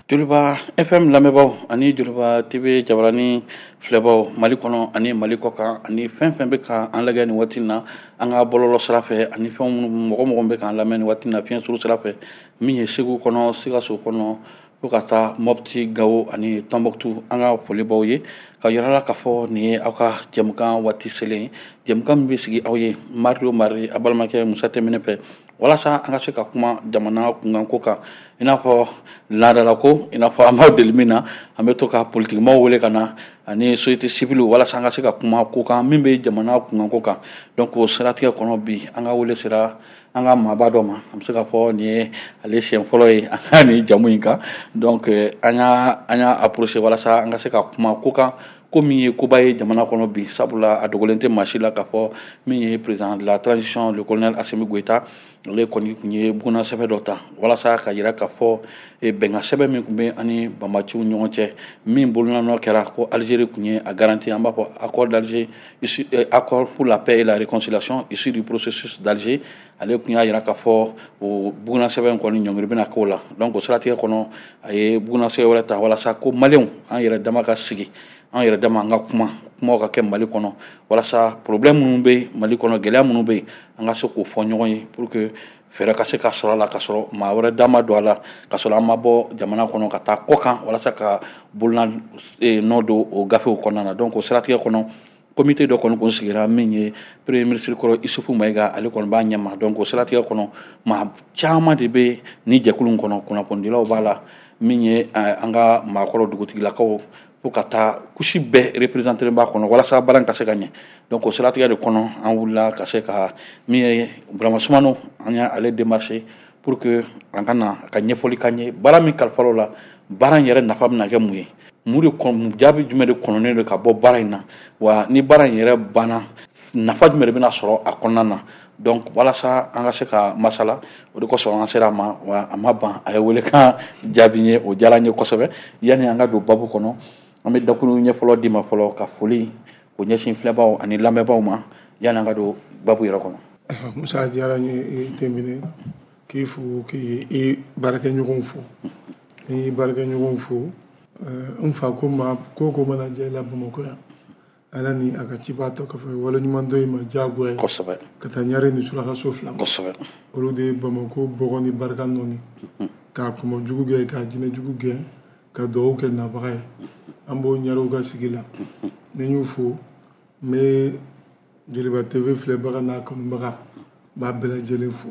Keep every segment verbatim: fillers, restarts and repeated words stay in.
Joliba F M lamɛnbaaw ani Joliba T V jabarani filɛbaw, Mali kɔnɔ ani Mali kɔ kan, ani fɛn fɛn bɛ ka an lajɛ nin waati na an ka bɔlɔlɔ sira fɛ, ani fɛn minnu mɔgɔ mɔgɔ bɛ k'an lamɛn nin waati na fiɲɛ suru sira fɛ, min ye Segu kɔnɔ, Sikaso kɔnɔ, fo ka taa Mɔpti, Gawo ani Tɔnbɔkutu, an ka foli b'aw ye ka yira la k'a fɔ nin ye aw ka jɛmukan waati selen ye, jɛmukan min bɛ sigi aw ye mardi o mardi, a balimakɛ Musa Tɛmɛnɛ fɛ, walasa an ka se ka kuma jamana kunkanko kan. I n'a fɔ laadalako, i n'a fɔ an b'aw deli min na, an bɛ to ka politikimaw wele ka na ani société civile, walasa an ka se ka kuma ko kan min bɛ jamana kunkanko kan. Donc o siratigɛ kɔnɔ, bi an ka wele sera an ka maaba dɔ ma. An bɛ se k'a fɔ nin ye ale siɲɛ fɔlɔ ye an ka nin jamu in kan. Donc an y'a an y'a approché walasa an ka se ka kuma ko kan, ko min ye koba ye jamana kɔnɔ bi, sabula a dogolen tɛ maa si la k'a fɔ min ye président de la transition, le colonel Assimi Goïta, ale kɔni tun ye buguna sɛbɛn dɔ ta walasa ka yira k'a fɔ bɛnkan sɛbɛn min tun bɛ ani banbaanciw ɲɔgɔn cɛ, min bolonɔ kɛra ko Algérie tun ye a garantie, an b'a fɔ accord d'Alger, accord pour la paix et la réconciliation issu du processus d'Alger, ale tun y'a yira k'a fɔ o buguna sɛbɛn kɔni ɲɔngiri bɛna k'o la. Donc o siratigɛ kɔnɔ, a ye buguna sɛbɛn wɛrɛ ta walasa ko maliyɛnw, an yɛrɛ dama ka sigi, an yɛrɛ dama an ka kuma, kumaw ka kɛ Mali kɔnɔ, walasa problème minnu bɛ Mali kɔnɔ, gɛlɛya minnu bɛ yen, an ka se k'o fɔ ɲɔgɔn ye pour que fɛɛrɛ ka se ka sɔrɔ a la, ka sɔrɔ maa wɛrɛ da ma don a la, ka sɔrɔ an ma bɔ jamana kɔnɔ ka taa kɔ kan walasa ka bolona nɔ don o gafew kɔnɔna na. Donc o siratigɛ kɔnɔ, comité dɔ kɔni kun sigira, min ye premier ministre kɔrɔ Isufu Mayiga, ale kɔni b'a ɲɛma. Donc o siratigɛ kɔnɔ, maa caman de bɛ ni jɛkulu in kɔnɔ, kunnafonidilaw b'a la, min ye an ka maakɔrɔ dugutigilakaw, fo ka taa couche bɛɛ représenté b'a kɔnɔ, walasa baara in ka se ka ɲɛ. Donc o siratigɛ de kɔnɔ, an wulila ka se ka min ye Burama Sumano, an y'ale démarché pour que an ka na ka ɲɛfɔli k'an ye baara min kalifal'o la, baara in yɛrɛ nafa bɛna kɛ mun ye, mun de kɔn jaabi jumɛn de kɔnɔnen don ka bɔ baara in na, wa ni baara in yɛrɛ banna, nafa jumɛn de bɛna sɔrɔ a kɔnɔna na. Donc walasa an ka se ka masala, o de kosɔn an sera a ma, wa a ma ban, a ye welekan jaabi n ye, o diyara n ye kosɛbɛ. Yanni an ka don babu kɔnɔ, an bɛ dakuru ɲɛ fɔlɔ d'i ma fɔlɔ, ka foli o ɲɛsin filɛbaw ani lamɛnbaaw ma, yanni an ka don babu yɛrɛ kɔnɔ. Musa, diyara n ye, i tɛmɛnen k'i fo, k'i i baarakɛɲɔgɔnw fo, ni baarakɛɲɔgɔnw fo. N fa ko ma ko ko mana diya i la Bamakɔ yan, Ala ni a ka ciba tɔ kɔfɛ, waleɲuman dɔ i ma diyagoya ye. Kosɛbɛ ka taa ɲare ni surakaso fila ma. Kosɛbɛ olu de ye Bamakɔ bɔgɔ ni barika nɔni k'a kɔmɔ jugu gɛn, k'a jinɛ jugu gɛn, ka dugawu kɛ nabaga ye. An b'o ɲarew ka sigi la. Ni n y'u fo, n bɛ Joliba T V filɛbaga n'a kanubaga, n b'a bɛɛ lajɛlen fo.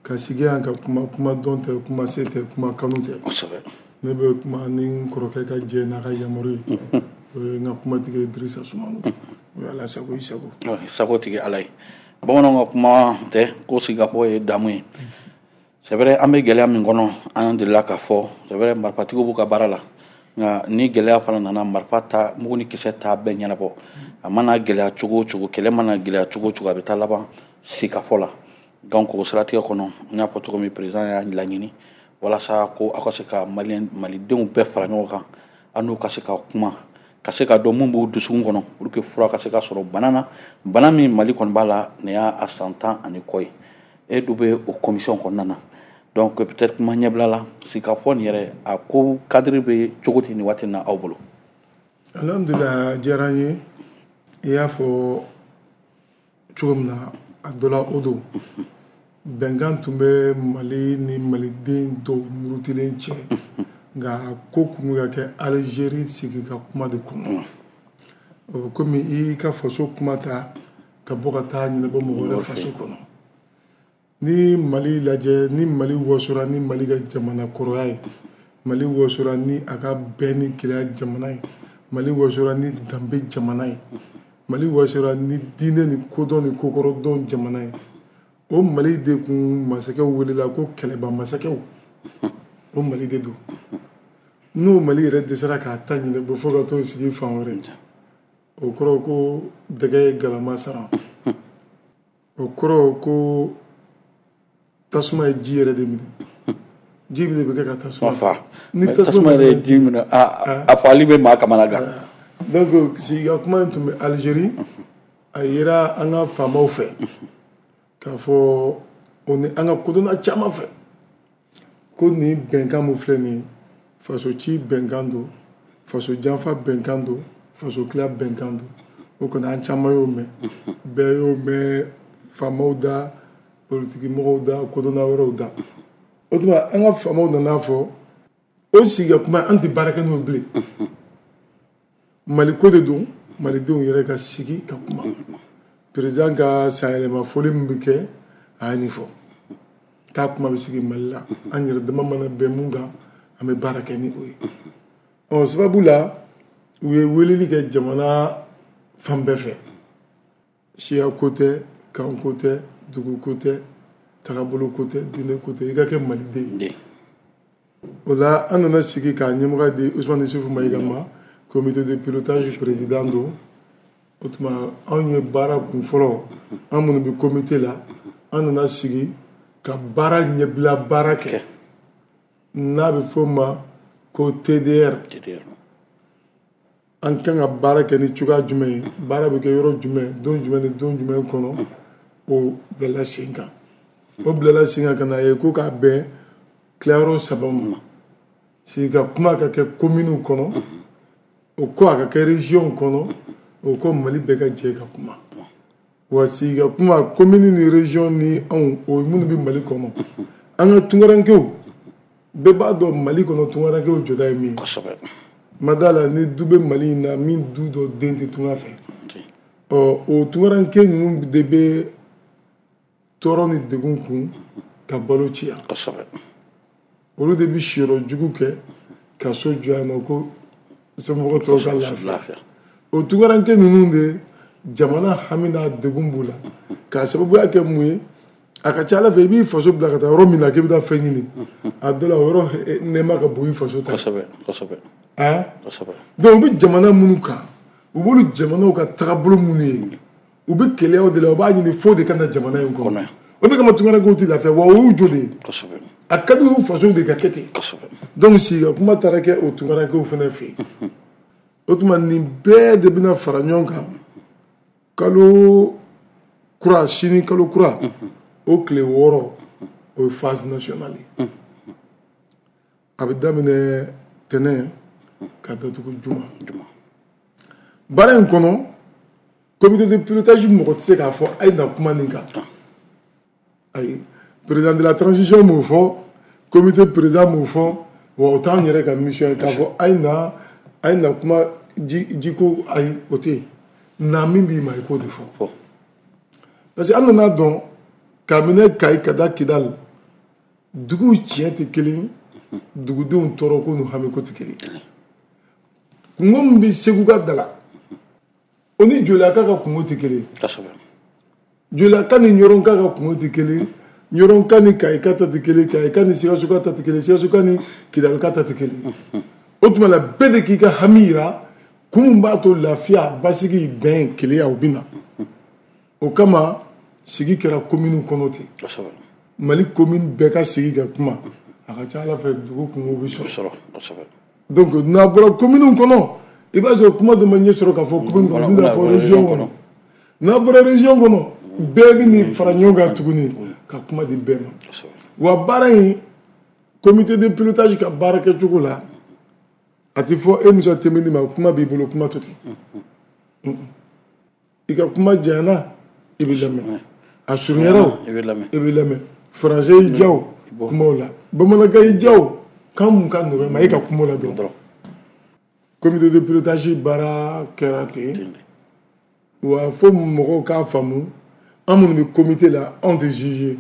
Ka sigi yan ka kuma, kuma dɔn tɛ, kuma se tɛ, kuma kanu tɛ. Kosɛbɛ ne bɛ kuma ni n kɔrɔkɛ ka jɛ n'a ka yamaru ye, o ye n ka kumatigi Dirisa Sumano. O ye Ala sago i sago. Sago tigi Ala ye. Bamananw ka kuma tɛ ko sigikafɔ ye damu ye. C'est vrai, an bɛ gɛlɛya min kɔnɔ, an delila k'a fɔ, c'est vrai, marifatigiw b'u ka baara la, nka ni gɛlɛya fana nana, marifa ta mugu ni kisɛ t'a bɛɛ ɲɛnabɔ. A mana gɛlɛya cogo o cogo, kɛlɛ mana gɛlɛya cogo o cogo, a bɛ taa laban sigikafɔ la. Donc o siratigɛ kɔnɔ, n y'a fɔ cogo min, président y'a laɲini walasa ko aw ka se ka maliyɛn malidenw bɛɛ fara ɲɔgɔn kan, an n'u ka se ka kuma, ka se ka dɔn mun b'u dusukun kɔnɔ, pour que fura ka se ka sɔrɔ bana na, bana min Mali kɔni b'a la nin y'a san tan ani kɔ ye. E dun bɛ o commission kɔnɔna na. Donc peut-être kuma ɲɛbila la, sigikafɔ nin yɛrɛ, a ko cadre bɛ cogo di nin waati in na aw bolo? Alhamdulilah, a diyara n ye. I y'a fɔ cogo min na, a dɔ la, o don bɛnkan tun bɛ Mali ni maliden dɔw murutilen cɛ, nka ko kun bɛ ka kɛ Alizeri sigi ka kuma de kɔnɔ. O bɛ komi i ka faso kuma ta ka bɔ ka taa ɲɛnabɔ mɔgɔ wɛrɛ faso kɔnɔ. Ni Mali lajɛ, ni Mali wasora ni Mali ka jamana kɔrɔya ye, Mali wasora ni a ka bɛn ni keleya jamana ye, Mali wasora ni danbe jamana ye, Mali wasora ni diinɛ ni kodɔn ni kokɔrɔdɔn jamana ye, o Mali de kun masakɛw welela ko kɛlɛba masakɛw. O Mali de don. N'o Mali yɛrɛ dɛsɛra k'a ta ɲɛnabɔ fo ka t'o sigi fan wɛrɛ, o kɔrɔ ko dɛgɛ ye galama sara, o kɔrɔ ko tasuma ye ji yɛrɛ de minɛ, ji de bɛ kɛ ka tasuma fa. Ni tasuma yɛrɛ ye ji minɛ, a fagali bɛ maa kamana gan. Donc sigika kuma in tun bɛ Alizeri. A yera an ka faamaw fɛ k'a fɔ, o ni an ka kodɔnna caman fɛ, ko nin bɛnkan min filɛ nin ye, Faso ci bɛnkan don, faso janfa bɛnkan don, faso tila bɛnkan don. O kɔni an caman y'o mɛn, bɛɛ y'o mɛn, faamaw da, politiki mɔgɔw da, kodɔnna wɛrɛw da. O tuma an ka faamaw nana fɔ o sigi ka kuma, an tɛ baara kɛ n'o bilen. Mali ko de don, malidenw yɛrɛ ka sigi ka kuma. Président ka sanyɛlɛma foli min bɛ kɛ, a ye nin fɔ k'a kuma bɛ sigi Mali la, an yɛrɛ dama mana bɛn mun kan, an bɛ baara kɛ ni o ye. Ɔ sababu la, u ye weleli kɛ jamana fan bɛɛ fɛ. Siya ko tɛ, kan ko tɛ, dugu ko tɛ, tagabolo ko tɛ, diinɛ ko tɛ, i ka kɛ maliden ye. O la an nana sigi k'a ɲɛmɔgɔ di Ousmane Issoufou Maïga ma, comité de pilotage président don. O tuma anw ye baara kun fɔlɔ, an minnu bɛ comité la, an nana sigi ka baara ɲɛbila baara kɛ n'a bɛ f'o ma ko T D R. An kan ka baara kɛ ni cogoya jumɛn ye, baara bɛ kɛ yɔrɔ jumɛn, don jumɛn ni don jumɛn kɔnɔ, o bilala sen kan. O bilala sen kan ka na ye ko k'a bɛn tilayɔrɔ saba ma. Sigi ka kuma ka kɛ kominiw kɔnɔ, o ko a ka kɛ région kɔnɔ, o ko Mali bɛɛ ka jɛ ka kuma. Wa sigi ka kuma komini ni région ni anw, o minnu bɛ Mali kɔnɔ, an ka tunkarankew bɛɛ b'a dɔn Mali kɔnɔ tunkarankew jɔda ye min ye. Kosɛbɛ. Ma da la ni du bɛ Mali in na min du dɔ den tɛ tunga fɛ. Ɔ o tunkaranke ninnu de bɛ tɔɔrɔ ni degun kun ka balo ci yan. Kosɛbɛ. Olu de bɛ siyɔrɔ jugu kɛ ka so jɔ yan nɔ ko somɔgɔ tɔw ka lafiya. O tunkaranke ninnu de jamana hami n'a degun b'u la k'a sababuya kɛ mun ye? A ka ca Ala fɛ i b'i faso bila ka taa yɔrɔ min na k'i bɛ taa fɛn ɲini, a dɔ la o yɔrɔ nɛɛma ka bon i faso ta. Kosɛbɛ kosɛbɛ. Hein? Kosɛbɛ. Donc u bɛ jamana minnu kan, u b'olu jamanaw ka tagabolo minnu ye, u bɛ keleyaw de la, u b'a ɲini fo de ka na jamana in kɔnɔ. O de kama tunkarankew tɛ lafiya, wa o y'u jɔ de ye. Kosɛbɛ. A ka di u faso de ka kɛ ten. Kosɛbɛ. Donc sigi ka kuma taara kɛ o tunkarankew fana fɛ yen. O tuma nin bɛɛ de bɛna fara ɲɔgɔn kan kalo kura, sini kalo kura, o tile wɔɔrɔ, o ye phase nationale ye. A bɛ daminɛ tɛnɛn ka datugu juma. Baara in kɔnɔ, comité de pilotage mɔgɔ tɛ se k'a fɔ a ye na kuma nin kan. Ayi, président de la transition m'o fɔ, comité président m'o fɔ, wa o t'anw yɛrɛ ka mission ye k'a fɔ a ye na, a ye na kuma ji jiko, ayi o tɛ yen. Na min b'i ma i k'o de fɔ. Parce que an nana dɔn k'a minɛ Kayi ka da Kidali, duguw tiɲɛ tɛ kelen, dugudenw tɔɔrɔ ko n'u hami ko tɛ kelen. Kungo min bɛ Segu ka da la, o ni Jolaka ka kungo tɛ kelen. Jolaka ni Ɲɔrɔnka ka kungo tɛ kelen, Ɲɔrɔnka ni Kayika ta tɛ kelen, Kayika ni Sikasoka ta tɛ kelen, Sikasoka ni Kidalika ta tɛ kelen. O tuma la bɛɛ de k'i ka hami yira, kun min b'a to lafiya, basigi, bɛn, keleya o bɛ na. O kama sigi kɛra kominiw kɔnɔ ten. Mali commune bɛɛ ka sigi ka kuma, a ka ca Ala fɛ dugu kungo bɛ sɔrɔ. Donc n'a bɔra kominiw kɔnɔ, i b'a sɔrɔ kuma dɔ ma ɲɛ sɔrɔ k'a fɔ commune kɔnɔ, bɛna fɔ région kɔnɔ. N'a bɔra région kɔnɔ, bɛɛ bɛ nin fara ɲɔgɔn kan tuguni ka kuma di bɛɛ ma. Wa baara in, comité de pilotage ka baara kɛcogo la, a tɛ fɔ e Musa Timbiné ma kuma b'i bolo, kuma to ten. I ka kuma janyana, i bɛ lamɛn. A surunyara o, i bɛ lamɛn. Français y'i diya o, kuma o la. Bamanankan y'i diya o, kan mun ka nɔgɔ i ma, e ka kuma o la dɔrɔn. Comité de pilotage baara kɛra ten. Wa fo mɔgɔw k'a faamu, an minnu bɛ comité la, anw tɛ juger.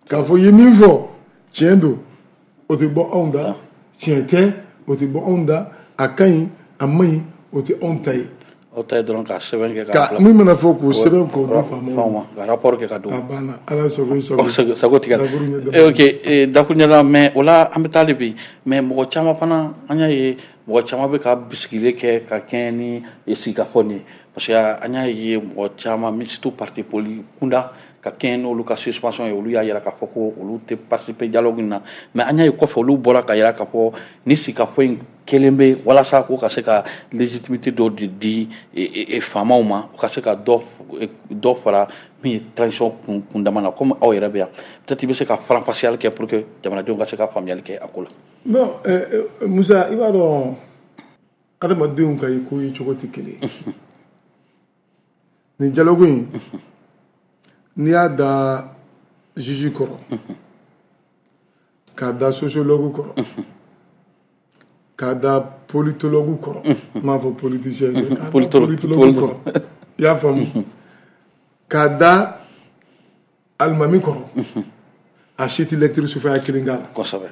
K'a fɔ i ye min fɔ, tiɲɛ don, o tɛ bɔ anw da. Tiɲɛ tɛ, o tɛ bɔ anw da. A ka ɲi, a man ɲi, o tɛ anw ta ye. Aw ta ye dɔrɔn k'a sɛbɛn kɛ k'a bila. Min mana fɔ k'o sɛbɛn k'o di faamaw ma. Ka rapport kɛ ka d'u ma. A banna, Ala sago i sago. Sago tigɛ. Ok, dakuruɲɛ la, mais o la an bɛ taa de bi. Mais mɔgɔ caman fana, an y'a ye mɔgɔ caman bɛ ka bisigile kɛ ka kɛɲɛ ni sigikafɔ nin ye. Parce que an y'a ye mɔgɔ caman, surtout parti politique kunda, ka kɛɲɛ n'olu ka suspension ye, olu y'a yira k'a fɔ ko olu tɛ participer dialogue in na. Mais an y'a ye kɔfɛ olu bɔra ka yira k'a fɔ ni sigikafɔ in kelen bɛ walasa ko ka se ka légitimité dɔ de di faamaw ma, u ka se ka dɔ dɔ fara min ye transition kun kundama na, komi aw yɛrɛ bɛ yan. Peut-être i bɛ se ka faranfasiyali kɛ pour que jamanadenw ka se ka faamuyali kɛ a ko la. Bon, Musa, i b'a dɔn adamadenw ka ko ye cogo tɛ kelen ye. Nin dialogue in, n'i y'a da juge kɔrɔ, k'a da sociologue kɔrɔ, k'a da politologue kɔrɔ, n m'a fɔ politicien dɛ, k'a da politologue kɔrɔ, i y'a faamu, k'a da alimami kɔrɔ, a si tɛ lecture sufɛya kelen k'a la. Kosɛbɛ.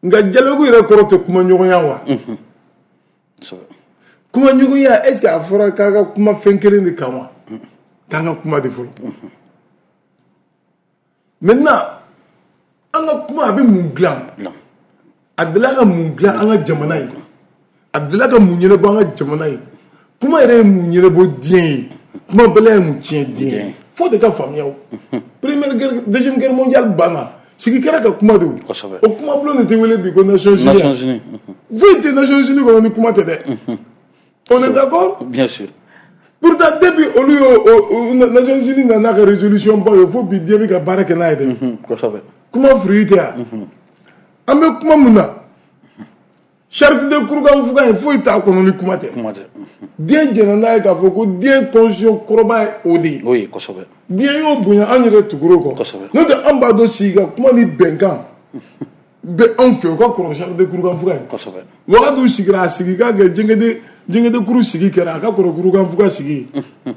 Nka dialogue yɛrɛ kɔrɔ tɛ kumaɲɔgɔnya wa? Kumaɲɔgɔnya, est ce que a fɔra k'a ka kuma fɛn kelen de kan wa? K'an ka kuma de fɔlɔ. Maintenant, an ka kuma a bɛ mun dilan? A delila ka mun dilan an ka jamana ye? A delila ka mun ɲɛnabɔ an ka jamana ye? Kuma yɛrɛ ye mun ɲɛnabɔ diɲɛ ye? Kuma bɛlɛ ye mun tiɲɛ diɲɛ ye? Fo de ka faamuya o. Première guerre, deuxième guerre mondiale banna. Sigi kɛra ka kuma de o. O kuma bulon de tɛ wele bi ko Nations Unies. Nations Unies. Foyi tɛ Nations Unies kɔnɔ ni kuma tɛ dɛ. On est d'accord? Bien sûr. Pourtant depuis olu y'o Nations Unies nana ka résolution ba ye fo bi diɲɛ bɛ ka baara kɛ n'a ye dɛ. Kosɛbɛ. Kuma fruit tɛ yan. An bɛ kuma mun na? Charte de Kurukanfuga in foyi t'a kɔnɔ ni kuma tɛ. Kuma tɛ. Diɲɛ jɛnna n'a ye k'a fɔ ko diɲɛ constitution kɔrɔba ye o de ye. Oui, kosɛbɛ. Diɲɛ y'o bonya an yɛrɛ tugur'o kɔ. Kosɛbɛ. N'o tɛ an b'a dɔn sigi ka kuma ni bɛnkan bɛ anw fɛ o ka kɔrɔ charte de Kurukanfuga ye. Kosɛbɛ. Wagadu sigira a sigi ka kɛ Jɛngɛde Jɛngɛde kuru sigi kɛra a ka kɔrɔ Kurukanfuga sigi.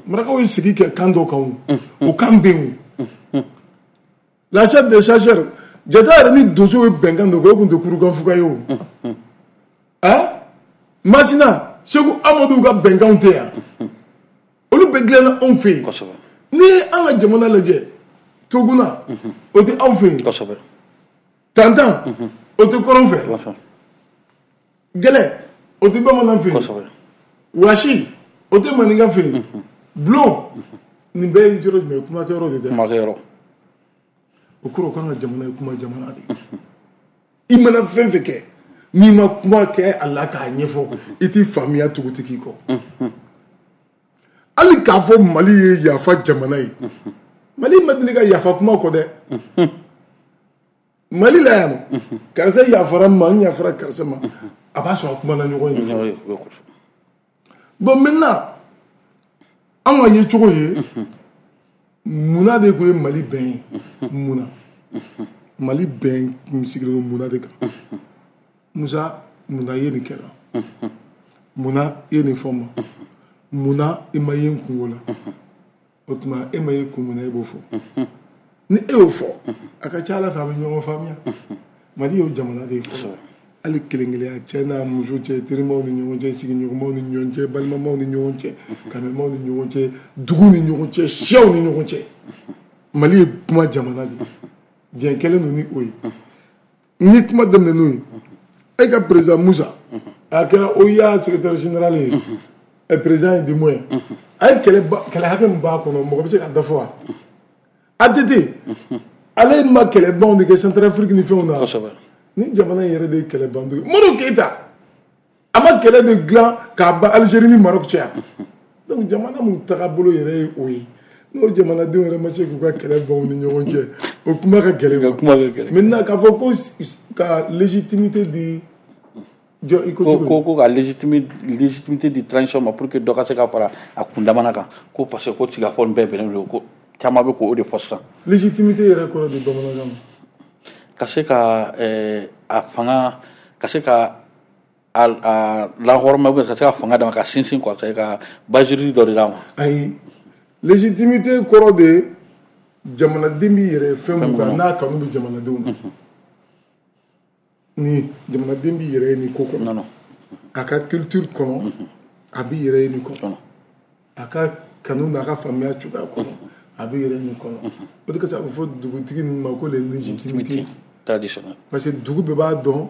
Marakaw ye sigi kɛ kan dɔ kan o. O kan bɛ yen o. La charte des chasseurs jata yɛrɛ ni donso ye bɛnkan dɔ kɛ o tun tɛ Kurukanfuga ye o. Hein? Masina, Segu Amadu ka bɛnkanw tɛ yan. Olu bɛɛ dilanna anw fɛ yen. Kosɛbɛ. N'i ye an ka jamana lajɛ, Toguna, o tɛ aw fɛ yen. Kosɛbɛ. Tantan, o tɛ kɔrɔn fɛ. Gɛlɛ, o tɛ bamanan fɛ yen. Kosɛbɛ. Wasi, o tɛ maninka fɛ yen. Bulon, nin bɛɛ ye yɔrɔ jumɛn ye? Kumakɛyɔrɔ de tɛ. Kumakɛyɔrɔ. O kɔrɔ k'an ka jamana ye kuma jamana de ye. I mana fɛn fɛn kɛ, n'i ma kuma kɛ a la k'a ɲɛfɔ, i t'i faamuya tugutigi kɔ. Hali k'a fɔ Mali ye yafa jamana ye, Mali ma deli ka yafa kuma kɔ dɛ. Mali la yan nɔ, karisa yafara n ma, n yafara karisa ma, a b'a sɔrɔ a kumana ɲɔgɔn ye. Bon maintenant, an ka ye cogo ye, munna de ko ye Mali bɛn ye? Munna? Mali bɛn sigilen don munna de kan? Musa, munna i ye nin kɛ la? Munna i ye nin fɔ n ma? Munna i ma ye n kungo la? O tuma e ma ye kun min na e b'o fɔ. Ni e y'o fɔ, a ka ca Ala fɛ a bɛ ɲɔgɔn faamuya. Mali y'o jamana de ye fɔlɔ. Hali kelen-kelenya cɛ n'a muso cɛ, terimaw ni ɲɔgɔn cɛ, sigiɲɔgɔnmaw ni ɲɔgɔn cɛ, balimamaw ni ɲɔgɔn cɛ, kanɛmaw ni ɲɔgɔn cɛ, dugu ni ɲɔgɔn cɛ, siyaw ni ɲɔgɔn cɛ. Mali ye kuma jamana de ye. Diɲɛ kɛlen don ni o ye. Ni kuma daminɛ n'o ye, e ka président Musa, a kɛra O I A secrétaire général ye, ɛ président ye du moins, a ye kɛlɛ kɛlɛ hakɛ min b'a kɔnɔ, mɔgɔ bɛ se k'a da fɔ wa? A T T, ale ma kɛlɛbanw de kɛ Centrafrique ni fɛnw na. Kosɛbɛ. Ni jamana in yɛrɛ de ye kɛlɛbandugu ye. Modibo Keyita, a ma kɛlɛ de dilan k'a ban Algérie ni Maroc cɛ yan. Donc jamana mun tagabolo yɛrɛ ye o ye. N'o jamanadenw yɛrɛ ma se k'u ka kɛlɛ ban u ni ɲɔgɔn cɛ, o kuma ka gɛlɛn. Kuma ka gɛlɛn. Maintenant k'a fɔ ko ka légitimité di jɔ i ko ko cogo ko ko ka légitimité di transition ma pour que dɔ ka se ka fara a kundamana kan, ko parce que ko sigikafɔ nin bɛɛ bɛnnen don, ko caman bɛ k'o de fɔ sisan. Légitimité yɛrɛ kɔrɔ de bamanankan na. Ka se ka a fanga, ka se ka a a lahɔrɔma ou bien ka se ka fanga d'a ma ka sinsin quoi, c'est ka base juridique dɔ de d'a ma. Ayi, légitimité kɔrɔ de jamanaden b'i yɛrɛ fɛn mun kan n'a kanu bɛ jamanadenw na. Ni jamanaden b'i yɛrɛ ye nin ko kɔnɔ. Non non. A ka culture kɔnɔ, a b'i yɛrɛ ye nin kɔnɔ. A ka kanu n'a ka faamuya cogoya kɔnɔ, a b'i yɛrɛ ye nin kɔnɔ. O de kosɔn a bɛ fɔ dugutigi ninnu ma ko les légitimités traditionnelles. Parce que dugu bɛɛ b'a dɔn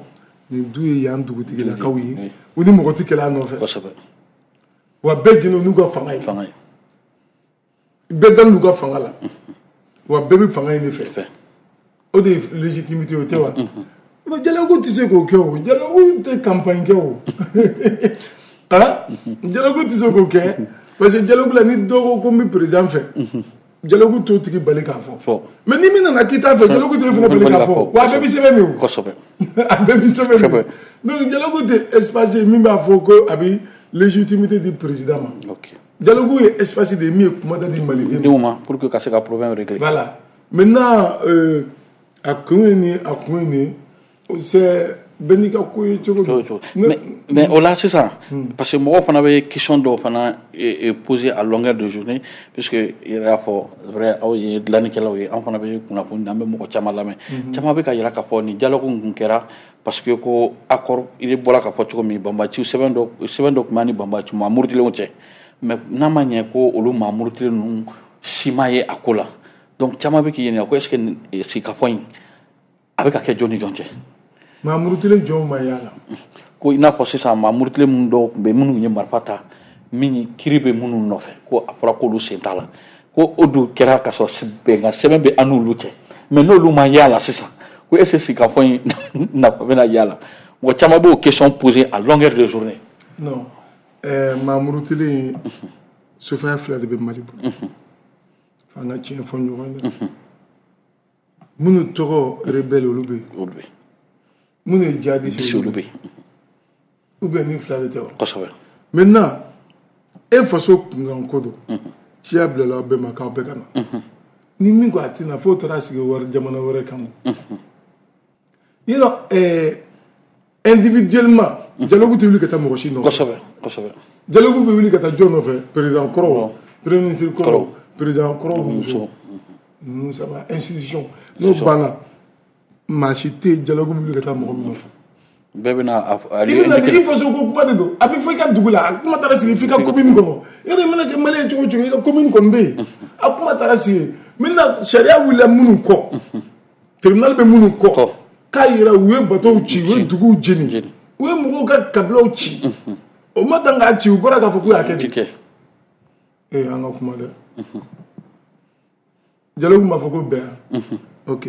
nin du ye yan dugutigilakaw ye, u ni mɔgɔ tɛ kɛlɛ a nɔfɛ. Kosɛbɛ. Wa bɛɛ jɛnnen n'u ka fanga ye. Fanga ye. Bɛɛ dalen n'u ka fanga la. Wa bɛɛ bɛ fanga in de fɛ. O de ye légitimité o tɛ wa? Mais dialogue tɛ se k'o kɛ o. Dialogue tɛ campagne kɛ o. Ah, dialogue tɛ se k'o kɛ parce que dialogue la ni dɔ ko ko n bɛ président fɛ, Dialogue t'o tigi bali k'a fɔ. Mais ni min nana k'i t'a fɛ, dialogue t'e fana bali k'a fɔ. Wa a bɛɛ bɛ sɛbɛn de o. Kosɛbɛ. A bɛɛ bɛ sɛbɛn de. Donc dialogue tɛ espace ye min b'a fɔ ko a bɛ légitimité di président ma. Ok. Dialogue ye espace de ye min ye kumada di malidenw ma pour que ka se ka problème régler. Voilà. Maintenant euh, a kun ye nin, a kun ye nin, c'est bɛɛ n'i ka ko ye cogo do. Mais mais o la sisan, parce que mɔgɔw fana bɛ question dɔw fana poser à longueur de journée, puisque i yɛrɛ y'a fɔ, vrai, aw ye dilannikɛlaw ye, an fana bɛ kunnafoni, an bɛ mɔgɔ caman lamɛn. Caman bɛ ka yira k'a fɔ nin dialogue kun kɛra parce que ko accord, i bɔra k'a fɔ cogo min, banbaciw sɛbɛn dɔ sɛbɛn dɔ tun b'a ni banbaci maa murutilenw cɛ, mais n'a ma ɲɛ ko olu maa murutilen ninnu si ma ye a ko la. Donc caman bɛ k'i ɲininka ko est ce que sigikafɔ in a bɛ ka kɛ jɔn ni jɔn cɛ? Maa murutilen jɔnw ma y'a la? Ko i n'a fɔ sisan maa murutilen minnu dɔw tun bɛ, minnu ye marifa ta, min kiiri bɛ minnu nɔfɛ, ko a fɔra k'olu sen t'a la, ko o dun kɛra ka sɔrɔ bɛnkan sɛbɛn bɛ an n'olu cɛ, mais n'olu ma y'a la sisan, ko est ce que sigikafɔ in nafa bɛna y'a la? Mɔgɔ caman b'o question poser à longueur de journée. Non, ɛɛ maa murutilen sofaya fila de bɛ Mali bolo. F'an ka tiɲɛ fɔ ɲɔgɔn ye. Minnu tɔgɔ rebelle, olu bɛ yen. Olu bɛ yen. Minnu ye djihadiste, olu bɛ yen. Ou bien ni fila de tɛ wa? Kosɛbɛ. Maintenant, e faso kunkan ko don. Ciya bilala aw bɛɛ ma k'aw bɛɛ ka na. Ni min ko a tɛna, f'o taara sigi wari jamana wɛrɛ kan. Yɔrɔ ɛɛ individuellement, dialogue tɛ wuli ka taa mɔgɔ si nɔfɛ. Kosɛbɛ, kosɛbɛ. Dialogue bɛ wuli ka taa jɔn nɔfɛ? Président kɔrɔw, premier ministre kɔrɔw, président kɔrɔw muso. Ninnu saba institution n'o banna, maa si tɛ yen dialogue bɛ wuli ka taa mɔgɔ min nɔfɛ. Bɛɛ bɛna a i bɛna i faso ko kuma de don, a bɛ fɔ i ka dugu la, a kuma taara sigi f'i ka commune kɔnɔ. Yɔrɔ i mana kɛ malien cogo o cogo, i ka commune kɔni bɛ yen, a kuma taara sigi. Maintenant sariya wulila minnu kɔ, tribunal bɛ minnu kɔ, k'a yira u ye bateau ci, u ye duguw jeni, u ye mɔgɔw ka kabilaw ci, o ma dan k'a ci, u bɔra k'a fɔ k'u y'a kɛ de. Ee an ka kuma dɛ. Dialogue b'a fɔ ko bɛn yan. Ok.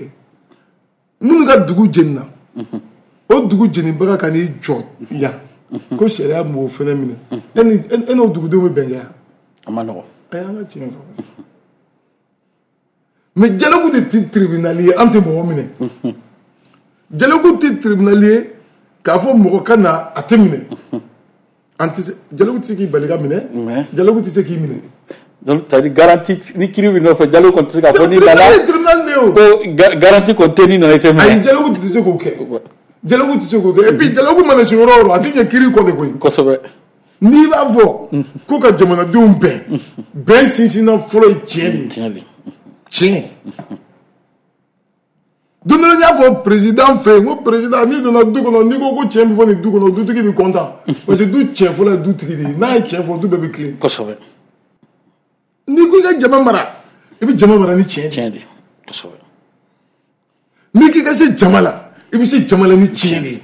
Minnu ka dugu jenina, o dugu jenibaga ka n'i jɔ yan ko sariya m'o fɛnɛ minɛ, e ni e n'o dugudenw bɛ bɛn kɛ yan? A ma nɔgɔn. Ayi, an ka tiɲɛ fɔ. Mais dialogue de tɛ tribunal ye, an tɛ mɔgɔ minɛ. Dialogue tɛ tribunal ye k'a fɔ mɔgɔ ka na a tɛ minɛ. An tɛ se, dialogue tɛ se k'i bali ka minɛ, dialogue tɛ se k'i minɛ. Donc c'est à dire garantie ni kiiri bɛ nɔfɛ, dialogue kɔni tɛ se k'a fɔ n'i nana. Tribunal de ye o. Ko garantie kɔni tɛ n'i nana i tɛ minɛ. Ayi, dialogue tɛ se k'o kɛ. Dialogue tɛ se k'o kɛ. Et puis dialogue mana se yɔrɔ o yɔrɔ, a tɛ ɲɛ kiiri kɔ de koyi. Kosɛbɛ. N'i b'a fɔ ko ka jamanadenw bɛn, bɛn sinsinna fɔlɔ ye tiɲɛ de ye. Tiɲɛ de. Tiɲɛ. Don dɔ la n y'a fɔ président fɛ yen, n ko président, n'i donna du kɔnɔ, n'i ko ko tiɲɛ bɛ fɔ nin du kɔnɔ, dutigi bɛ content. Parce que du tiɲɛ fɔlɔ ye dutigi de ye, n'a ye tiɲɛ fɔ, du bɛɛ bɛ tilen. Kosɛbɛ. N'i ko i ka jama mara, i bɛ jama mara ni tiɲɛ de. Tiɲɛ de. Kosɛbɛ. N'i k'i ka se jama la, i bɛ se jama la ni tiɲɛ de ye.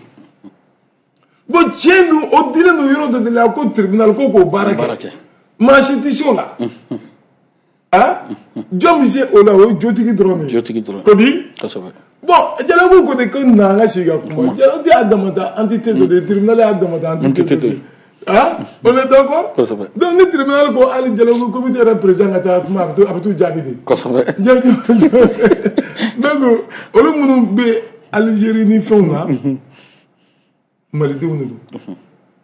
Bon, tiɲɛ dun, o dilen don yɔrɔ dɔ de la ko tribunal ko k'o baara kɛ. Maa si tɛ se o la. Ah, jɔn bɛ se o la? O ye jotigi dɔrɔn de ye. Jotigi dɔrɔn. Ko di? Kosɛbɛ. Bon, dialogue ko de ko na an ka sigi ka kuma. Dialogue y'a damata entité dɔ de ye, tribunal y'a damata entité dɔ de ye. Ah, on est d'accord? Kosɛbɛ. Donc ni tribunal ko hali dialogue comité yɛrɛ président ka taa kuma, a bɛ a bɛ t'u jaabi de. Kosɛbɛ. Donc olu minnu bɛ Algérie ni fɛnw na, malidenw de don.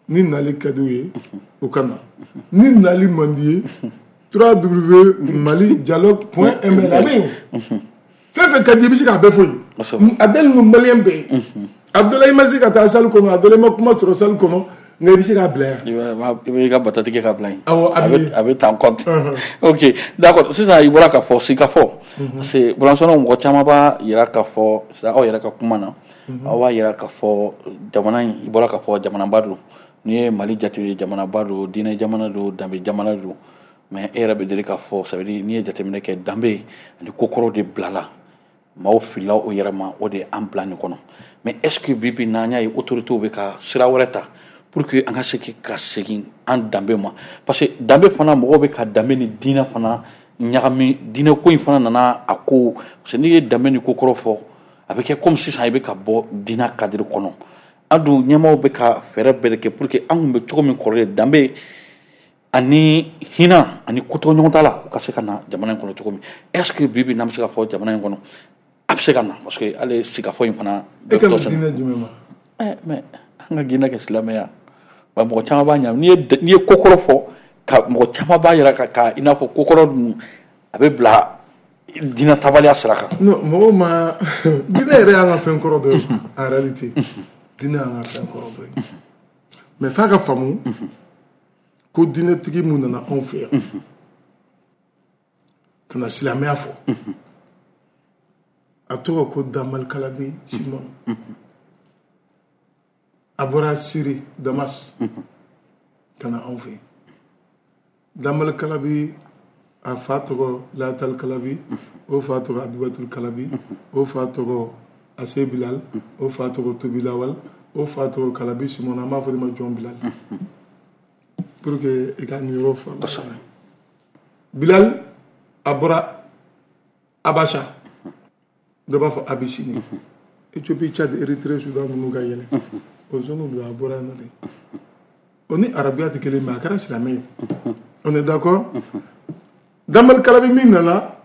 Ni nali ka di u ye, u ka na. Ni nali man di ye, w w w mali dialogue point m l a bɛ yen. Fɛn fɛn ka di i bɛ se k'a bɛɛ fɔ yen. A dalen don malien bɛɛ ye. A dɔ la i ma se ka taa salle kɔnɔ, a dɔ la i ma kuma sɔrɔ salle kɔnɔ, nka i bɛ se k'a bila yan. I b'i ka batati kɛ k'a bila yen. Awɔ, a bɛ a bɛ ta en compte. Ok, d'accord. Sisan i bɔra k'a fɔ sigikafɔ. Parce que Bulansɔnɔ mɔgɔ caman b'a yira k'a fɔ aw yɛrɛ ka kuma na, aw b'a yira k'a fɔ jamana in, i bɔra k'a fɔ jamanaba don. N'i ye Mali jate, jamanaba don, diinɛ jamana don, danbe jamana don. Mais e yɛrɛ bɛ deli k'a fɔ, ça veut dire n'i ye jateminɛ kɛ, danbe ani kokɔrɔw de bilala, maaw filila o yɛrɛ ma, o de ye an bila nin kɔnɔ. Mais est ce que bi bi n'an y'a ye autorités bɛ ka sira wɛrɛ ta pour que an ka se ka segin an danbe ma? Parce que danbe fana, mɔgɔw bɛ ka danbe ni diinɛ fana ɲagami. Diinɛ ko in fana nana a ko, parce que n'i ye danbe ni kokɔrɔ fɔ, a bɛ kɛ comme sisan i bɛ ka bɔ diinɛ cadre kɔnɔ. An dun ɲɛmaaw bɛ ka fɛɛrɛ bɛɛ de kɛ pour que an kun bɛ cogo min kɔrɔlen, danbe Ani hinɛ ani kotoɲɔgɔn t'a la, u ka se ka na jamana in kɔnɔ cogo min. Est ce que bi bi n'an bɛ se ka fɔ jamana in kɔnɔ a bɛ se ka na, parce que hali sigikafɔ in fana? E ka diinɛ jumɛn ma? Ɛ, mais an ka diinɛ kɛ silamɛya wa, mɔgɔ caman b'a ɲa. N'i ye n'i ye ko kɔrɔ fɔ ka mɔgɔ caman b'a yira ka ka i n'a fɔ ko kɔrɔ dun a bɛ bila diinɛ tabaliya sira kan. Non, mɔgɔw ma diinɛ yɛrɛ y'an ka fɛn kɔrɔ dɔ ye. En réalité, diinɛ y'an ka fɛn kɔrɔ dɔ ye, mais f'a ka faamu ko diinɛtigi mun nana anw fɛ yan ka na silamɛya fɔ, a tɔgɔ ko Damal Kalabi Simon. A bɔra Siri, Damas, ka na anw fɛ yen. Damal Kalabi, a fa tɔgɔ Latal Kalabi, o fa tɔgɔ Abibatul Kalabi, o fa tɔgɔ Ase Bilal, o fa tɔgɔ Tobilawal, o fa tɔgɔ Kalabi Simon. An b'a fɔ de ma Jɔn Bilal, pour que i ka nin yɔrɔ faamu. Bilal, a bɔra Abasha, dɔ b'a fɔ Abyssinie, Éthiopie, Tchad, Érythrée, Soudan ninnu ka yɛlɛ o zone don. A bɔra yen nɔ de. O ni arabuya tɛ kelen, mais a kɛra silamɛ ye, on est d'accord. Damal Kalabi min nana,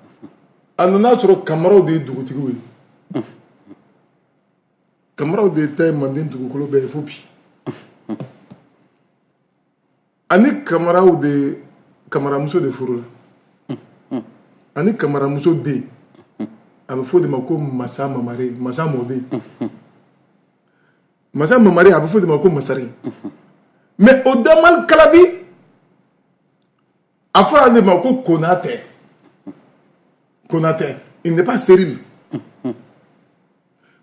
a nana sɔrɔ Kamaraw de ye dugutigiw ye. Kamaraw de ta ye Manden dugukolo bɛɛ ye fo bi. Ani Kamaraw de, Kamaramuso de furu la. Ani Kamaramuso den, a bɛ fɔ o de ma ko Masa Mamare, Masa mɔden, Masa Mamare, a bɛ fɔ o de ma ko Masari. Mais o Damal Kalabi, a fɔra ale ma ko Konatɛ. Konatɛ, il n'est pas stérile.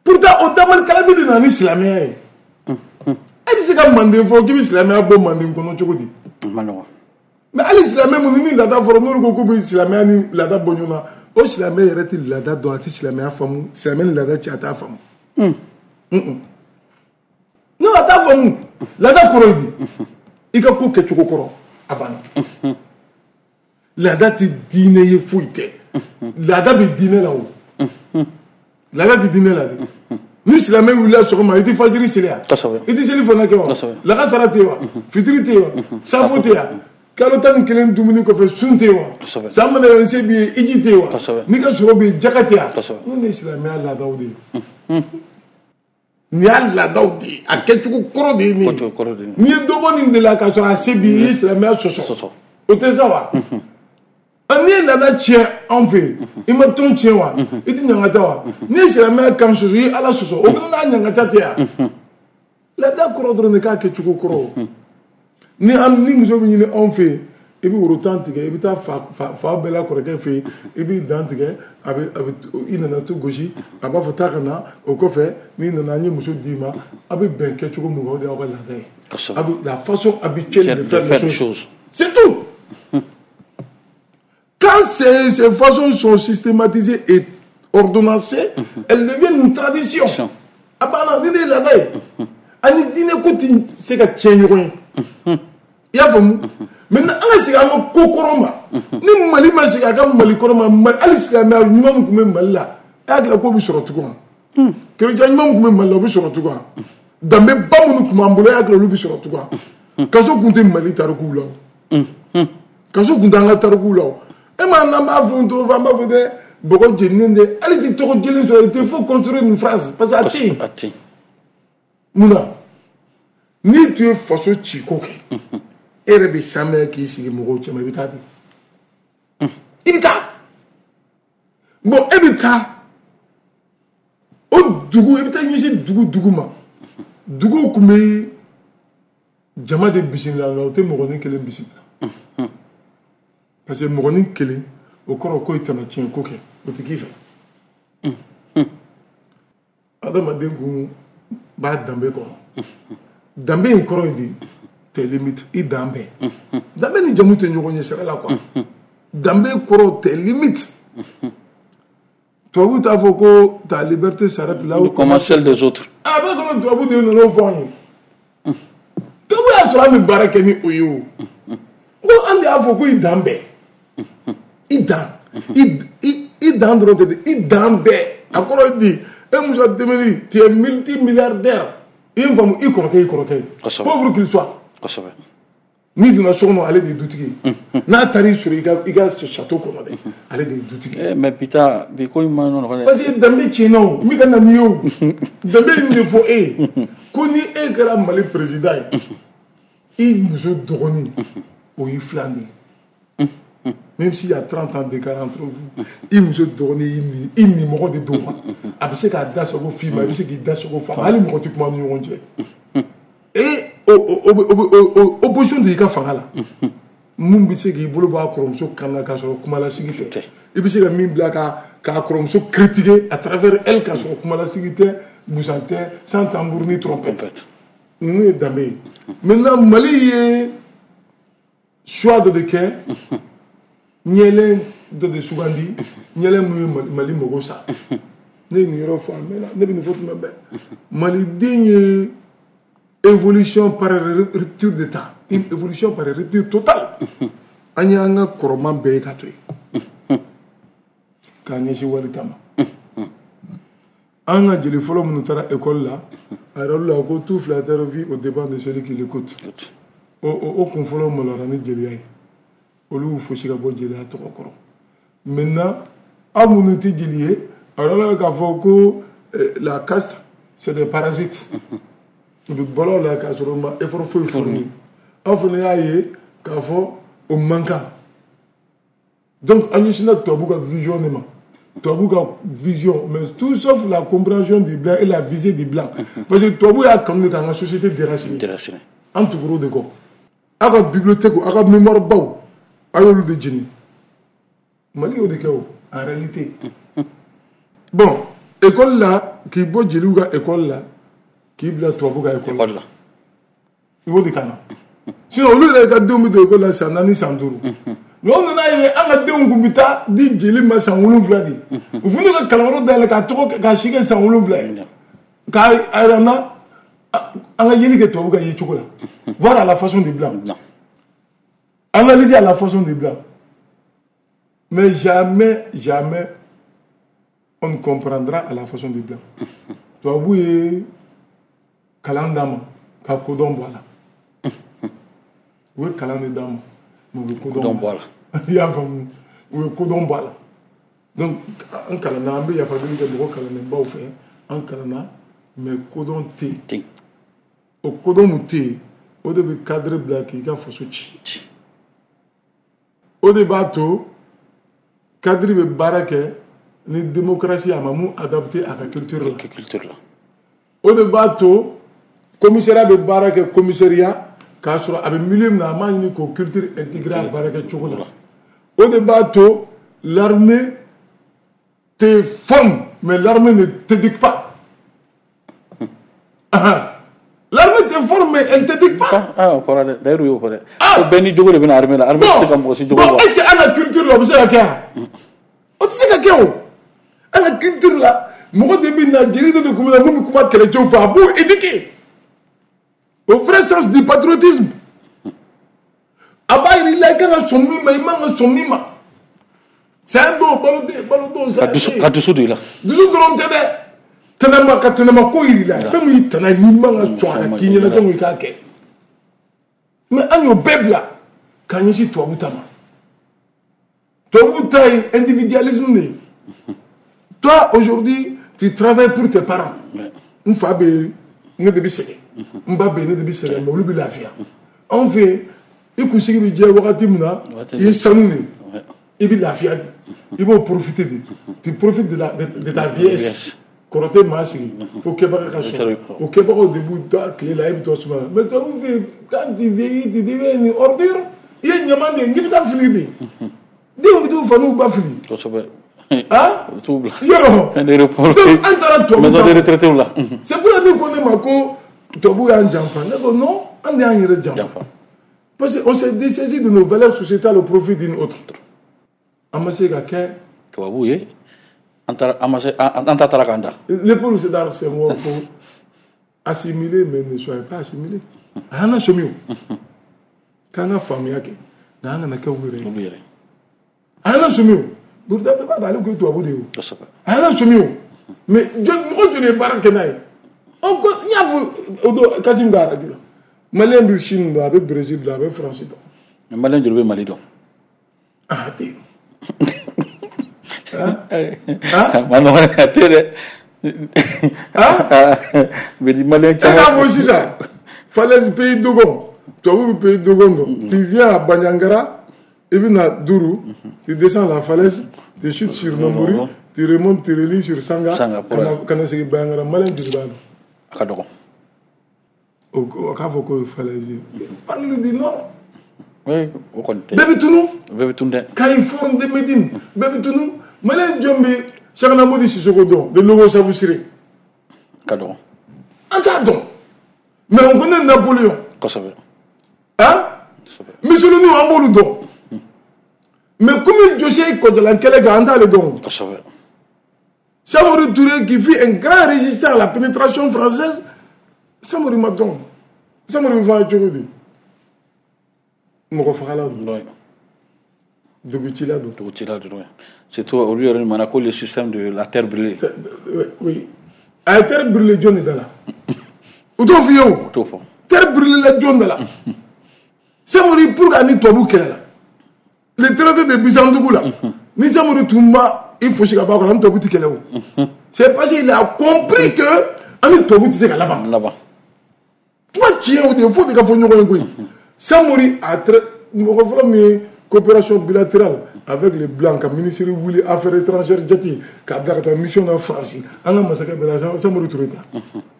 Pourtant, o Damal Kalabi de nana ni silamɛya ye. E bɛ se ka Manden fɔ k'i bɛ silamɛya bɔ Manden kɔnɔ cogo di? Mais hali silamɛ minnu ni laada fɔra, n'olu ko k'u bɛ silamɛya ni laada bɔ ɲɔgɔn na, o silamɛ yɛrɛ tɛ laada dɔn, a tɛ silamɛya faamu. Silamɛ ni laada cɛ, a t'a faamu. Non, a t'a faamu. Laada kɔrɔ ye di? I ka ko kɛcogo kɔrɔ, a banna. Laada tɛ diinɛ ye, foyi tɛ. Laada bɛ diinɛ la o. Laada tɛ diinɛ la dɛ. Ni silamɛ wulila sɔgɔma, i tɛ fajiri seli yan, i tɛ seli fana kɛ wa? Lakasara tɛ yen wa? Fitiri tɛ yen wa? Safo tɛ yan? Kalo tan ni kelen dumuni kɔfɛ, sun tɛ yen wa? San mana yɛlɛ se b'i ye, iji tɛ yen wa? N'i ka sɔrɔ bɛ yen, jaka tɛ yan? Ninnu de ye silamɛya laadaw de ye. Nin y'a laadaw de ye, a kɛcogo kɔrɔ de ye nin ye. N'i ye dɔ bɔ nin de la k'a sɔrɔ a se b'i ye, i ye silamɛya sɔsɔ, o tɛ sa wa? N'i ye laada tiɲɛ anw fɛ yen, i ma tɔn tiɲɛ wa? I tɛ ɲangata wa? N'i ye silamɛya kan sɔsɔ, i ye Ala sɔsɔ, o fana n'a ɲangata tɛ yan. Laada kɔrɔ dɔrɔn de k'a kɛcogo kɔrɔ. Ni an ni muso bɛ ɲini anw fɛ yen, i bɛ woro tan tigɛ, i bɛ taa fa fa bɛɛ la kɔrɔkɛ fɛ yen, i b'i dan tigɛ, a bɛ a bɛ i nana to gosi, a b'a fɔ taa ka na. O kɔfɛ, n'i nana, an ye muso d'i ma, a bɛ bɛn kɛcogo mun kan, o de y'aw ka laada ye. A bɛ la façon habituelle de faire les choses, c'est tout. Quand ces, ces façons sont systématisées et ordonnancées, elles deviennent une tradition. A banna, ni ne ye laada ye, ani diinɛ ko tɛ se ka tiɲɛ ɲɔgɔn ye. I y'a faamu? Maintenant, an ka segin an ka ko kɔrɔ ma. Ni Mali ma segin a ka Mali kɔrɔ ma, hali silamɛya ɲuman min tun bɛ Mali la, e hakili la k'o bɛ sɔrɔ tugun wa? Kerecɛn ɲuman min tun bɛ Mali la, o bɛ sɔrɔ tugun wa? Danbeba minnu tun b'an bolo, e hakili la olu bɛ sɔrɔ tugun wa? Kaso tun tɛ Mali tarikuw la o. Kaso tun tɛ an ka tarikuw la o. E ma n'an b'a fɔ tɔgɔ fɔ, an b'a fɔ dɛ, bɔgɔ jeninen dɛ, hali ti tɔgɔ jelen sɔrɔ, il te faut construire une phrase parce que a tɛ yen. Mun na? N'i tun ye faso ciko kɛ, e yɛrɛ bɛ sanmɛ k'i sigi mɔgɔw cɛma, i bɛ taa di? I bɛ taa. Bon, e bɛ taa o dugu, i bɛ taa ɲɛsin dugu dugu ma. Duguw tun bɛ jama de bisimila, nka o tɛ mɔgɔnin kelen bisimila. Parce que mɔgɔnin kelen, o kɔrɔ ko i tɛna tiɲɛ ko kɛ, o tɛ k'i fɛ. Adamaden kun b'a danbe kɔnɔ. Danbe in kɔrɔ ye di? Tes limites, i dan bɛɛ. Danbe ni jamu tɛ ɲɔgɔn ɲɛ sira la quoi. Danbe kɔrɔ tes limites. Tubabu t'a fɔ ko ta liberté s'arrête là où commence celle des autres. A b'a kɔnɔ, tubabu de nana o fɔ an ye. Tubabu y'a sɔrɔ an bɛ baara kɛ ni o ye o. Ko an de y'a fɔ ko i dan bɛɛ. I dan. I i dan dɔrɔn tɛ dɛ, i dan bɛɛ. A kɔrɔ ye di? E Musa Dembélé, tu es multimilliardaire. I ye n faamu, i kɔrɔkɛ i kɔrɔkɛ ye. Pauvre qu'il soit. Kosɛbɛ. N'i donna so kɔnɔ, ale de ye dutigi ye. N'a taara i sɔrɔ i ka i ka château kɔnɔ dɛ, ale de ye dutigi ye. Mais bi ta, bi ko in ma nɔgɔn dɛ. Parce que danbe tiɲɛna o, n bɛ ka na n'i ye o. Danbe in de fɔ e ye ko ni e kɛra Mali président ye, i muso dɔgɔnin o y'i filan de ye. Même s'il y a trente ans d'écart entre vous, i muso dɔgɔnin y'i ni i nimɔgɔ de don ma. A bɛ se k'a da sago f'i ma, i bɛ se k'i da sago f'a ma, hali mɔgɔ tɛ kuma ni ɲɔgɔn cɛ. E o o o o opposition de y'i ka fanga la. Mun bɛ se k'i bolo bɔ a kɔrɔmuso kan na k'a sɔrɔ kumalasigi tɛ. I bɛ se ka min bila ka k'a kɔrɔmuso critiquer à travers elle k'a sɔrɔ kumalasigi tɛ, busan tɛ, sans tambour ni trompette. Ninnu ye danbe ye. Maintenant, Mali ye choix dɔ de kɛ, ɲɛlɛn dɔ de sugandi, ɲɛlɛn mun ye Mali mago sa. Ne ye nin yɔrɔ fɔ a mɛnna, ne bɛ nin fɔ tuma bɛɛ. Maliden ye évolution par rupture d'état, une évolution par rupture totale. An y'an ka kɔrɔman bɛɛ ye ka to yen k'a ɲɛsin wali ta ma. An ka jeli fɔlɔ minnu taara école la, a yɛrɛ la ko tout flatteur vit au dépens de celui qui l'écoute. O o kun fɔlɔ maloyara ni jeliya ye, olu y'u fosi ka bɔ jeliya tɔgɔ kɔrɔ. Maintenant, aw minnu tɛ jeli ye, a yɛrɛ la k'a fɔ ko la caste, c'est des parasites. U bɛ balo la k'a sɔrɔ u ma effort foyi fourni. Aw fana y'a ye k'a fɔ o man kan. Donc an ɲɛsinna tubabu ka vision de ma. Tubabu ka vision, mais tout sauf la compréhension du blanc et la visée du blanc. Parce que tubabu y'a kanu de k'an ka société déraciner. Déraciner. An tugura o de kɔ. Aw ka bibliothèque, aw ka mémoire baw, a y'olu de jeni. Mali y'o de kɛ o, en réalité. Bon, école la, k'i bɔ jeliw ka école la, k'i bila tubabu ka école la. I b'o de kana. Sinon olu yɛrɛ ka denw bɛ don école la san naani, san duuru. Mais o nana ye an ka denw kun bɛ taa di jeli ma san wolonwula de. U fana ka kalanyɔrɔ dayɛlɛ k'a tɔgɔ k'a si kɛ san wolonwula ye. K'a yira n na an ka yeli kɛ tubabu ka ye cogo la. Voir à la façon des blancs. Analyser à la façon des blancs. Mais jamais, jamais on ne comprendra à la façon des blancs. Tubabu ye kalan d'an ma ka kodɔn bɔ a la. U ye kalan de d'an ma, mais u bɛ kodɔn bɔ a la. I y'a faamu, u ye kodɔn bɔ a la. Donc an kalanna, an bɛ yafa deli kɛ mɔgɔ kalannenbaw fɛ, an kalanna, mais kodɔn tɛ yen. O kodɔn mun tɛ yen, o de bɛ cadre bila k'i ka faso ci. O de b'a to cadre bɛ baara kɛ ni démocratie a ma mun adapté a ka culture la. O de b'a to commissariat bɛ baara kɛ commissariat k'a sɔrɔ a bɛ milieu min na, a m'a ɲini k'o culture intégrer a baara kɛ cogo la. O de b'a to l'armée te forme, mais l'armée ne t'éduque pas. L'armée te forme, mais elle ne t'éduque pas. Ah, o kɔrɔ dɛ, d'ailleurs u y'o fɔ dɛ. Ko bɛɛ ni jogo de bɛ na armée la, armée tɛ se ka mɔgɔ si jogo bɔ. Bon, est-ce que an ka culture la o bɛ se ka kɛ wa? O tɛ se ka kɛ o. An ka culture la, mɔgɔ de bɛ na, jeli dɔ de kun bɛ na mun bɛ kuma kɛlɛcɛw fɛ, a b'o éduquer au vrai sens du patriotisme. A b'a yira i la i kan ka sɔn min ma, i man ka sɔn min ma. Saya don, balo tɛ, balo don, saya tɛ. Ka dusu don i la. Dusu dɔrɔn tɛ dɛ. Tɛnɛma ka tɛnɛma ko yir'i la. Fɛn min y'i tɛnɛ ye, n'i man ka sɔn a ka k'i ɲɛna, donc i k'a kɛ. Mais an y'o bɛɛ bila k'a ɲɛsin tubabu ta ma. Tubabu ta ye individualisme de ye. Toi, aujourd'hui, tu travailles pour tes parents. N fa bɛ yen, ne de bɛ sɛgɛn. N ba bɛ yen, ne de bɛ sɛgɛn, mais olu bɛ lafiya. Anw fɛ yen, i kunsigi bɛ jɛ wagati min na, i ye sanu de ye. I bɛ lafiya de. I b'o profiter de. Tu profites de, la, de, de ta vieillesse. Kɔrɔ tɛ maa sigi fo kɛbaga ka sɔrɔ. O kɛbagaw de b'u da tile la, e bɛ to suma la. Mais tubabu fɛ yen, quand tu vieillis, tu deviens une ordure. I ye ɲaman de ye, k'i bɛ taa fili de. Denw bɛ t'u fa n'u ba fili. Kosɛbɛ. Ah, U t'u bila. Yɔrɔ. Donc an taara tubabu maison de retraite la. C'est pour ça ne ko ne ma ko tubabu y'an janfa. Ne ko non, an de y'an yɛrɛ janfa. Parce qu'on s'est dessaisi de nos valeurs sociétales au profit d'une autre. An ma se ka kɛ tubabu ye. An taara, an ma se, an ta taara k'an da. Léopold Sédar Senghor ko assimiler mais ne soyez pas assimilé. A y'an lasɔmi o. K'an ka faamuya kɛ, nka an kana kɛ u yɛrɛ ye. Olu yɛrɛ. A y'an lasɔmi o. Burukina bɛɛ b'a dɔn ale tun ye tubabu de ye o. Kosɛbɛ. A y'an lasɔmi o. Mais mɔgɔ joli ye baara kɛ n'a ye? Ɔ ko n y'a fɔ o don Kasim ka arajo la. Malien bɛ Chine dɔn, a bɛ Brésil dɔn, a bɛ France dɔn. Mais Malien joli bɛ Mali dɔn? Ah, a tɛ yen. Ah, ma nɔgɔn, a tɛ dɛ. Ah, Malien e k'a fɔ sisan falaise pays Dogon, tubabu bɛ pays Dogon dɔn. Tu viens à Bandiagara, i bɛ na Dourou, tu descends la falaise, tu chutes sur Hombori, tu remontes, tu relis sur Sangha, ka na segin Bandiagara. Malien joli b'a dɔn? A ka dɔgɔ. O k'a fɔ k'o ye falaise ye. Parle du nord. Oui, o kɔni tɛ. Bɛɛ bɛ tunu. Bɛɛ bɛ tunu dɛ. Kayi, Forum de Médine, bɛɛ bɛ tunu. Malien jɔn bɛ Cheikhna Modi Sissoko dɔn de Logo Sabusire? Ka dɔgɔ. An t'a dɔn. Mais on connaît Napoléon. Kosɛbɛ. Hein? Mussolini, an b'olu dɔn. Mais komi José ye Kɔjalan kɛlɛ kɛ, an t'ale dɔn. Kosɛbɛ. Samori Touré, qui fut un grand résistant à la pénétration française, Samori ma dɔn. Samori bɛ fɔ cogo di? Mɔgɔ fagala don. Dugutila don. Dugutila don. Surtout olu yɛrɛ ɲuman ko le système de la terre brûlée. Oui. A ye terre brûlée jɔn de da la? U t'o f'i ye o. U t'o fɔ. Terre brûlée la jɔn da la? Samori, pour que ani tubabu kɛlɛ la. Le traité de Bissandougou la. Ni Samori tun ma i fosi ka bɔ a kɔrɔ, an tubabu tɛ kɛlɛ o. C'est parce qu'il a compris que an ni tubabu tɛ se ka laban. Laban. Kuma tiɲɛ o de ye, fo de ka fɔ ɲɔgɔn ye koyi. Samori a très mɔgɔ fɔlɔ min ye coopération bilatérale avec les blancs, ka ministre wuli affaires étrangères jate k'a bila ka taa mission na France, an ka masakɛ bɛɛ la, Samori Touré ta.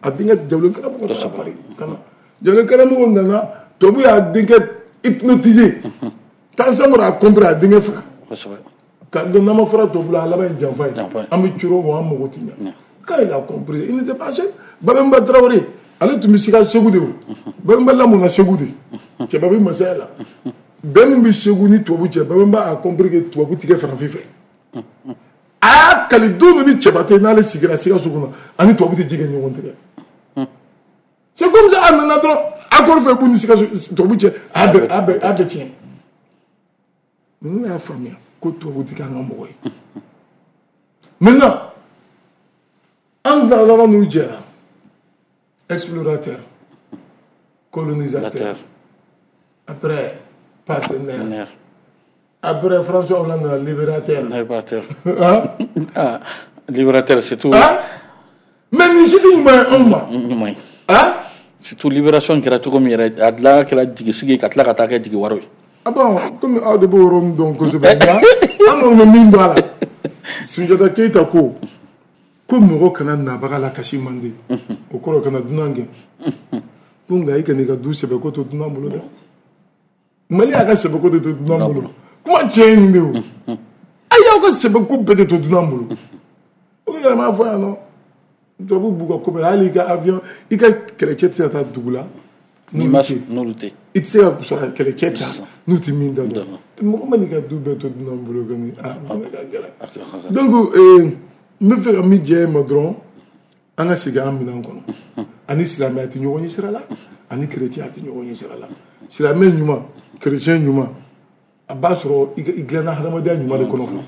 A denkɛ Jawulen Karamɔgɔ taara Paris ka na. Jawulen Karamɔgɔ nana, tubabu y'a denkɛ hypnotisé. Quand Samori a compris, a denkɛ faga. Ka dɔn n'an ma fara tubabu la, a laban ye janfa ye. An bɛ coro o, an mago tɛ ɲɛ. Quand il a compris, il n'était pas seul. Babemba Traoré, ale tun bɛ sika Segu de o. Babemba lamɔna Segu de. Cɛba bɛ masaya la. Bɛn min bɛ Segu ni tubabu cɛ, Babemba a compris que tubabu tɛ kɛ farafin fɛ. A y'a kali don min ni cɛba tɛ n'ale sigira Sikaso kɔnɔ, ani tubabu tɛ ji kɛ ɲɔgɔn tigɛ. C'est comme ça, a nana dɔrɔn accord fɛ k'u ni Sikaso tubabu cɛ, a bɛɛ a bɛɛ a bɛɛ tiɲɛ. Ninnu y'a faamuya ko tubabu tɛ kɛ an ka mɔgɔ ye. Maintenant, an laban n'u jɛra. Explorateur, colonisateur, après partenaire, après François Hollande, libérateur. Libérateur. Hein? Ah, libérateur, c'est tout. Hein? Mais ni si tu m'as un ma. Hein? Surtout libération kɛra cogo min yɛrɛ, a tila kɛra jigi sigi ka tila ka taa kɛ jigi waro ye. Ah bon, komi aw de b'o yɔrɔ min dɔn kosɛbɛ, nka an kɔni bɛ min dɔn a la, Sunjata Keyita ko ko mɔgɔ kana nabaga la kasi man di, o kɔrɔ kana dunan gɛn. Ko nka i kana i ka du sɛbɛko to dunan bolo dɛ. Mali y'a ka sɛbɛko de to dunan bolo. Kuma tiɲɛ ye nin de o. A y'aw ka sɛbɛko bɛɛ de to dunan bolo. O yɛrɛ m'a fɔ yan nɔ. Tubabu b'u ka ko bɛɛ la, hali i ka avion, i ka kɛlɛcɛ tɛ se ka taa dugu la. N'olu tɛ. I tɛ se ka sɔrɔ kɛlɛcɛ ta n'u tɛ min da dɔn. Mɔgɔ ma n'i ka du bɛɛ to dunan bolo kɔni, a ka gɛlɛn. Donc n bɛ fɛ ka min jɛ e ma dɔrɔn, an ka segin an minɛn kɔnɔ. Ani silamɛya tɛ ɲɔgɔn ɲɛ sira la, ani chrétien tɛ ɲɔgɔn ɲɛ sira la. Silamɛ ɲuman, chrétien ɲuman, a b'a sɔrɔ i dilanna hadamadenya ɲuman de kɔnɔ fɔlɔ.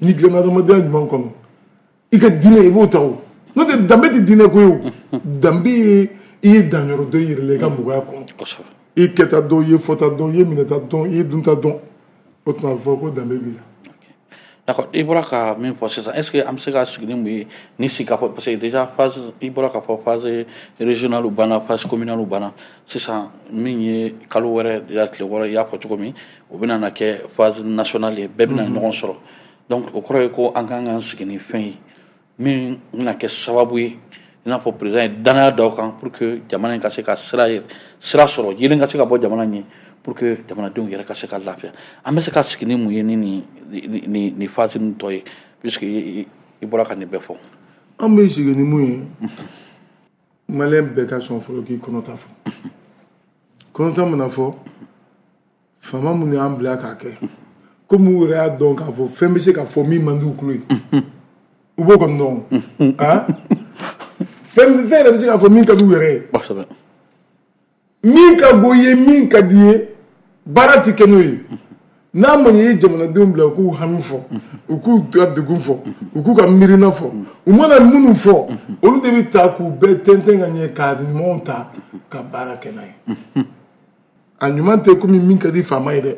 N'i dilanna hadamadenya ɲuman kɔnɔ, i ka diinɛ i b'o ta o. N'o tɛ danbe tɛ diinɛ ko ye o. Danbe ye i ye danyɔrɔ dɔ yɛrɛ la i ka mɔgɔya kɔnɔ. I kɛta dɔn, i ye fɔta dɔn, i ye minɛta dɔn, i ye dunta dɔn. O tuma a bɛ fɔ ko danbe b'i la. D'accord, i bɔra ka min fɔ sisan, est-ce que an bɛ se ka sigi ni mun ye ni sigi ka fɔ, parce que déjà phase i bɔra ka fɔ phase régionale banna, phase communale banna, sisan min ye kalo wɛrɛ déjà tile wɔɔrɔ, i y'a fɔ cogo min, o bɛna na kɛ phase nationale ye, bɛɛ bɛna ɲɔgɔn sɔrɔ. Donc o kɔrɔ ye ko an kan k'an sigi ni fɛn ye min bɛna kɛ sababu ye, i n'a fɔ président ye danaya da o kan pour que jamana in ka se ka sira sira sɔrɔ, yelen ka se ka bɔ jamana in ye, pour que jamanadenw yɛrɛ ka se ka lafiya. An bɛ se ka sigi ni mun ye ni nin ni ni phase ninnu tɔ ye, puisque i bɔra ka nin bɛɛ fɔ. An bɛ sigi ni mun ye, Malien bɛɛ ka sɔn fɔlɔ k'i kɔnɔta fɔ. Kɔnɔta mana fɔ, faama minnu y'an bila k'a kɛ, komi u yɛrɛ y'a dɔn k'a fɔ fɛn bɛ se ka fɔ min man di u tulo ye, u b'o kɔni dɔn. Ah, fɛn fɛn yɛrɛ bɛ se k'a fɔ min ka di u yɛrɛ ye. Kosɛbɛ. Min ka go i ye, min ka di i ye, baara tɛ kɛ n'o ye. N'a ma ɲɛ i ye jamanadenw bila u k'u hami fɔ, u k'u ka degun fɔ, u k'u ka miirina fɔ, u mana minnu fɔ, olu de bɛ ta k'u bɛɛ tɛntɛn ka ɲɛ k'a ɲumanw ta ka baara kɛ n'a ye. A ɲuman tɛ komi min ka di faama ye dɛ,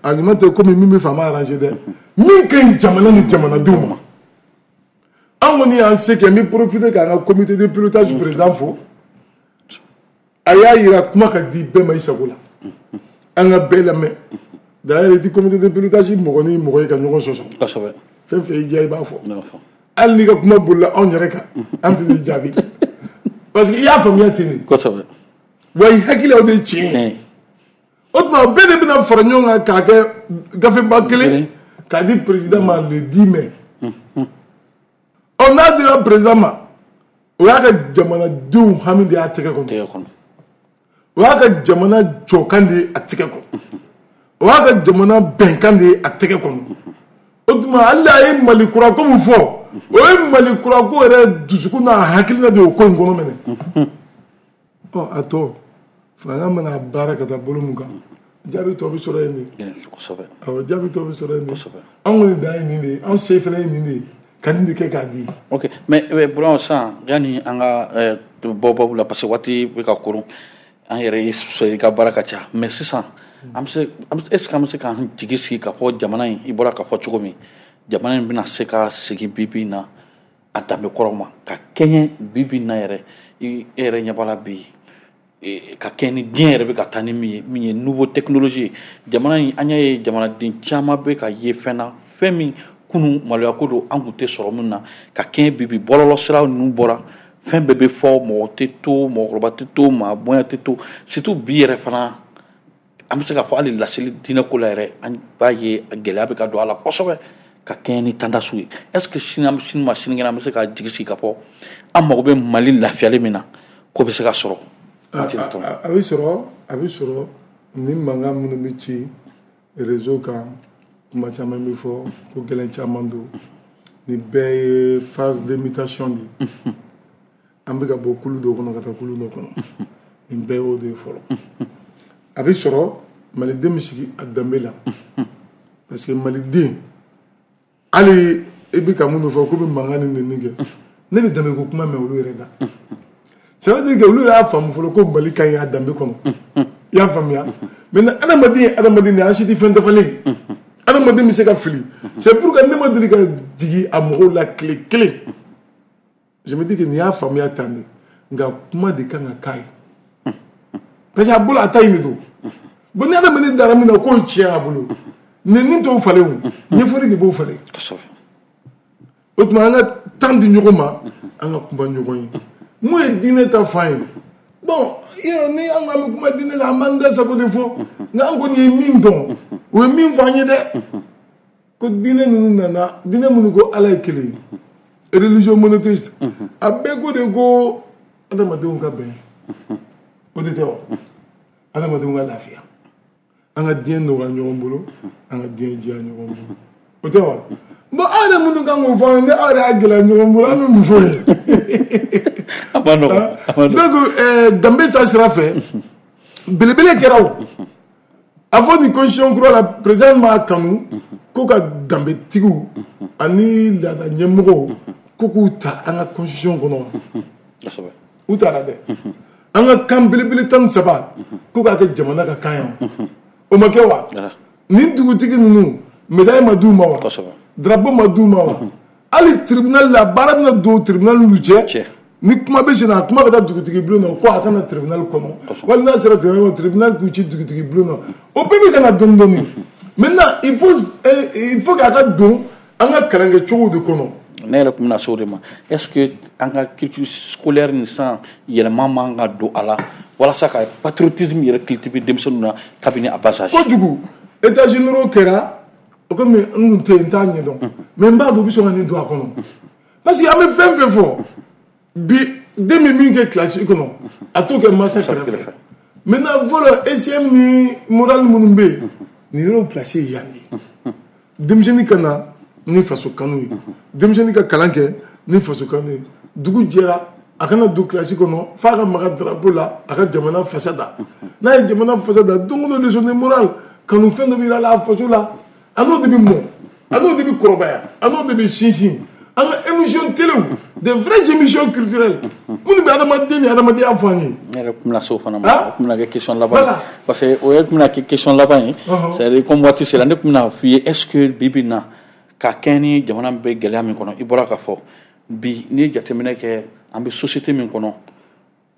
a ɲuman tɛ komi min bɛ faama arranger dɛ, min ka ɲi jamana ni jamanadenw ma. An kɔni y'an se kɛ. N bɛ profiter k'an ka comité de pilotage président fo. A y'a yira kuma ka di bɛɛ ma i sago la, an ka bɛɛ lamɛn. D'ailleurs, i ti comité de pilotage mɔgɔ ni mɔgɔ ye ka ɲɔgɔn sɔsɔ. Kosɛbɛ. Fɛn fɛn y'i diya, i b'a fɔ. Hali n'i ka kuma bolila anw yɛrɛ kan, an tɛ n'i jaabi, parce que i y'a faamuya ten de. Kosɛbɛ. Wa i hakili, o de ye tiɲɛ ye. O tuma, bɛɛ de bɛna fara ɲɔgɔn kan k'a kɛ gafeba kelen k'a di président ma le dix mai. Ɔ, n'a dira président ma, o y'a ka jamanadenw hami de y'a tɛgɛ kɔnɔ, o y'a ka jamana jɔkan de ye a tɛgɛ kɔnɔ, o y'a ka jamana bɛnkan de ye a tɛgɛ kɔnɔ. O tuma, hali a ye Mali kura ko min fɔ, o ye Mali kura ko yɛrɛ dusukun n'a hakilina de y'o ko in kɔnɔ minɛ. Ɔ, a tɔ, fanga mana baara ka taa bolo mun kan, jaabi tɔ bɛ sɔrɔ yen de. Kosɛbɛ. Awɔ, jaabi tɔ bɛ sɔrɔ yen de. Anw kɔni dan ye nin de ye, anw se fana ye nin de ye, ka nin de kɛ k'a di. Ok, mais Burama, sisan, yanni an ka bɔ babu la, parce que waati bɛ ka koron, an yɛrɛ ye sɔrɔ i ka baara ka ca, mais sisan an bɛ se, est ce que an bɛ se k'an jigi sigi k'a fɔ jamana in, i bɔra k'a fɔ cogo min, jamana in bɛna se ka segin bi bi in na a danbe kɔrɔ ma ka kɛɲɛ bi bi in na yɛrɛ, i yɛrɛ ɲɛ b'a la bi, ka kɛɲɛ ni diɲɛ yɛrɛ bɛ ka taa ni min ye, min ye nouveau technologie ye? Jamana in, an y'a ye jamanaden caman bɛ ka ye fɛn na, fɛn min kunun maloya ko don, an kun tɛ sɔrɔ min na, ka kɛɲɛ bi bi bɔlɔlɔ sira ninnu bɔra, fɛn bɛɛ bɛ fɔ, mɔgɔ tɛ to, mɔgɔkɔrɔba tɛ to, maa bonya tɛ to. Surtout bi yɛrɛ fana, an bɛ se k'a fɔ hali laseli diinɛ ko la yɛrɛ, an b'a ye gɛlɛya bɛ ka don a la kosɛbɛ ka kɛɲɛ ni tendance ye. Est ce que sini sini ma sinikɛnɛ, an bɛ se ka jigi sigi k'a fɔ an mago bɛ Mali lafiyali min na, k'o bɛ se ka sɔrɔ? A bɛ sɔrɔ, a bɛ sɔrɔ. Ni mankan minnu bɛ ci réseau kan, kuma caman bɛ fɔ, ko gɛlɛn caman don, nin bɛɛ ye phase de mutation de ye. An bɛ ka bɔ kulu dɔ kɔnɔ ka taa kulu dɔ kɔnɔ, nin bɛɛ y'o de ye fɔlɔ. A bɛ sɔrɔ, maliden bɛ sigi a danbe la, parce que maliden, hali i bɛ ka minnu fɔ k'u bɛ mankan ni nɛni kɛ, ne bɛ danbe ko kuma mɛn olu yɛrɛ da. Ça veut dire que olu y'a faamu fɔlɔ ko Mali ka ɲi a danbe kɔnɔ. I y'a faamuya? Maintenant, adamaden ye adamaden de ye, an si tɛ fɛn dafalen ye, adamaden bɛ se ka fili. C'est pourquoi ne ma deli ka jigin a mɔgɔw la tile kelen. Je me dis que nin y'a faamuya tan de, nka kuma de kan ka k'a ye, parce que a bolo, a ta in de don. Bon, ni adamaden dara min na k'o ye tiɲɛ a bolo, nɛni t'o falen, o ɲɛfɔli de b'o falen. O tuma, an ka temps di ɲɔgɔn ma, an ka kuma ɲɔgɔn ye. Mun ye diinɛ ta fan ye? Bon, yɔrɔ ni an ko an bɛ kuma diinɛ la, an b'an da sago de fɔ, nka an kɔni ye min dɔn, o ye min fɔ an ye dɛ, ko diinɛ ninnu nana, diinɛ minnu ko Ala ye kelen ye, religion monothéiste, a bɛɛ ko de ko adamadenw ka bɛn. O de tɛ wa? Adamadenw ka lafiya, an ka diɲɛ nɔgɔya ɲɔgɔn bolo, an ka diɲɛ diya ɲɔgɔn bolo, o tɛ wa? Bon, aw yɛrɛ minnu kan k'o fɔ an ye, ni aw yɛrɛ y'a gɛlɛya ɲɔgɔn bolo, an bɛ mun fɔ ye? A ma nɔgɔn, a ma nɔgɔn. Donc ɛɛ danbe ta sira fɛ, belebele kɛra o. A fɔ nin constitution kura la, président m'a kanu ko ka danbetigiw ani laada ɲɛmɔgɔw ko k'u ta an ka constitution kɔnɔ. Kosɛbɛ. U taara dɛ. An ka kan belebele tan ni saba, ko k'a kɛ jamana ka kan ye, o ma kɛ wa? Nin dugutigi ninnu, médaille ma d'u ma wa? Kosɛbɛ. Drapeau ma d'u ma wa? Hali tribunal la, baara bɛna don tribunal n'u cɛ. Ni kuma bɛ sen na, kuma bɛ taa dugutigi bulon na ko a kana tribunal kɔnɔ, wali n'a sera tribunal kɔnɔ, tribunal k'u ci dugutigi bulon na. O bɛɛ bɛ ka na dɔɔni dɔɔni. Maintenant, il faut il faut k'a ka don an ka kalankɛcogo de kɔnɔ. Ne yɛrɛ tun bɛna se o de ma. Est ce que an ka culture scolaire nin sisan, yɛlɛma man ka don a la walasa ka patriotisme yɛrɛ cultiver denmisɛnninw na kabini a bas âge? Kojugu. États généraux kɛra o, komi n kun tɛ yen, n t'a ɲɛdɔn, mais n b'a dɔn u bɛ sɔn ka nin don a kɔnɔ, parce que an bɛ fɛn fɛn fɔ bi, den bɛ min kɛ kilasi kɔnɔ, a t'o kɛ mansa kɛrɛfɛ. Maintenant, fɔlɔ, E C M ni morale minnu bɛ yen, nin yɔrɔ place ye yan de. Denmisɛnnin ka na ni faso kanu ye, denmisɛnnin ka kalan kɛ ni faso kanu ye, dugu jɛra, a kana don kilasi kɔnɔ f'a ka maga drapeau la, a ka jamana fasa da. N'a ye jamana fasa da, don o don, leçon de morale, Kanufɛn dɔ bɛ yira la faso la, a n'o de bɛ mɔ, a n'o de bɛ kɔrɔbaya, a n'o de bɛ sinsin. An ka émission télé, des vraies émissions culturelles minnu bɛ adamaden ni adamadenya fɔ an ye. Ne yɛrɛ tun bɛna se o fana ma, o tun bɛna kɛ question laban ye, parce que o yɛrɛ tun bɛna kɛ question laban ye, c'est à dire comme waati sera, ne tun bɛna f'i ye, est ce que bi bi in na, ka kɛɲɛ ni jamana bɛ gɛlɛya min kɔnɔ, i bɔra ka fɔ bi, n'i ye jateminɛ kɛ, an bɛ société min kɔnɔ,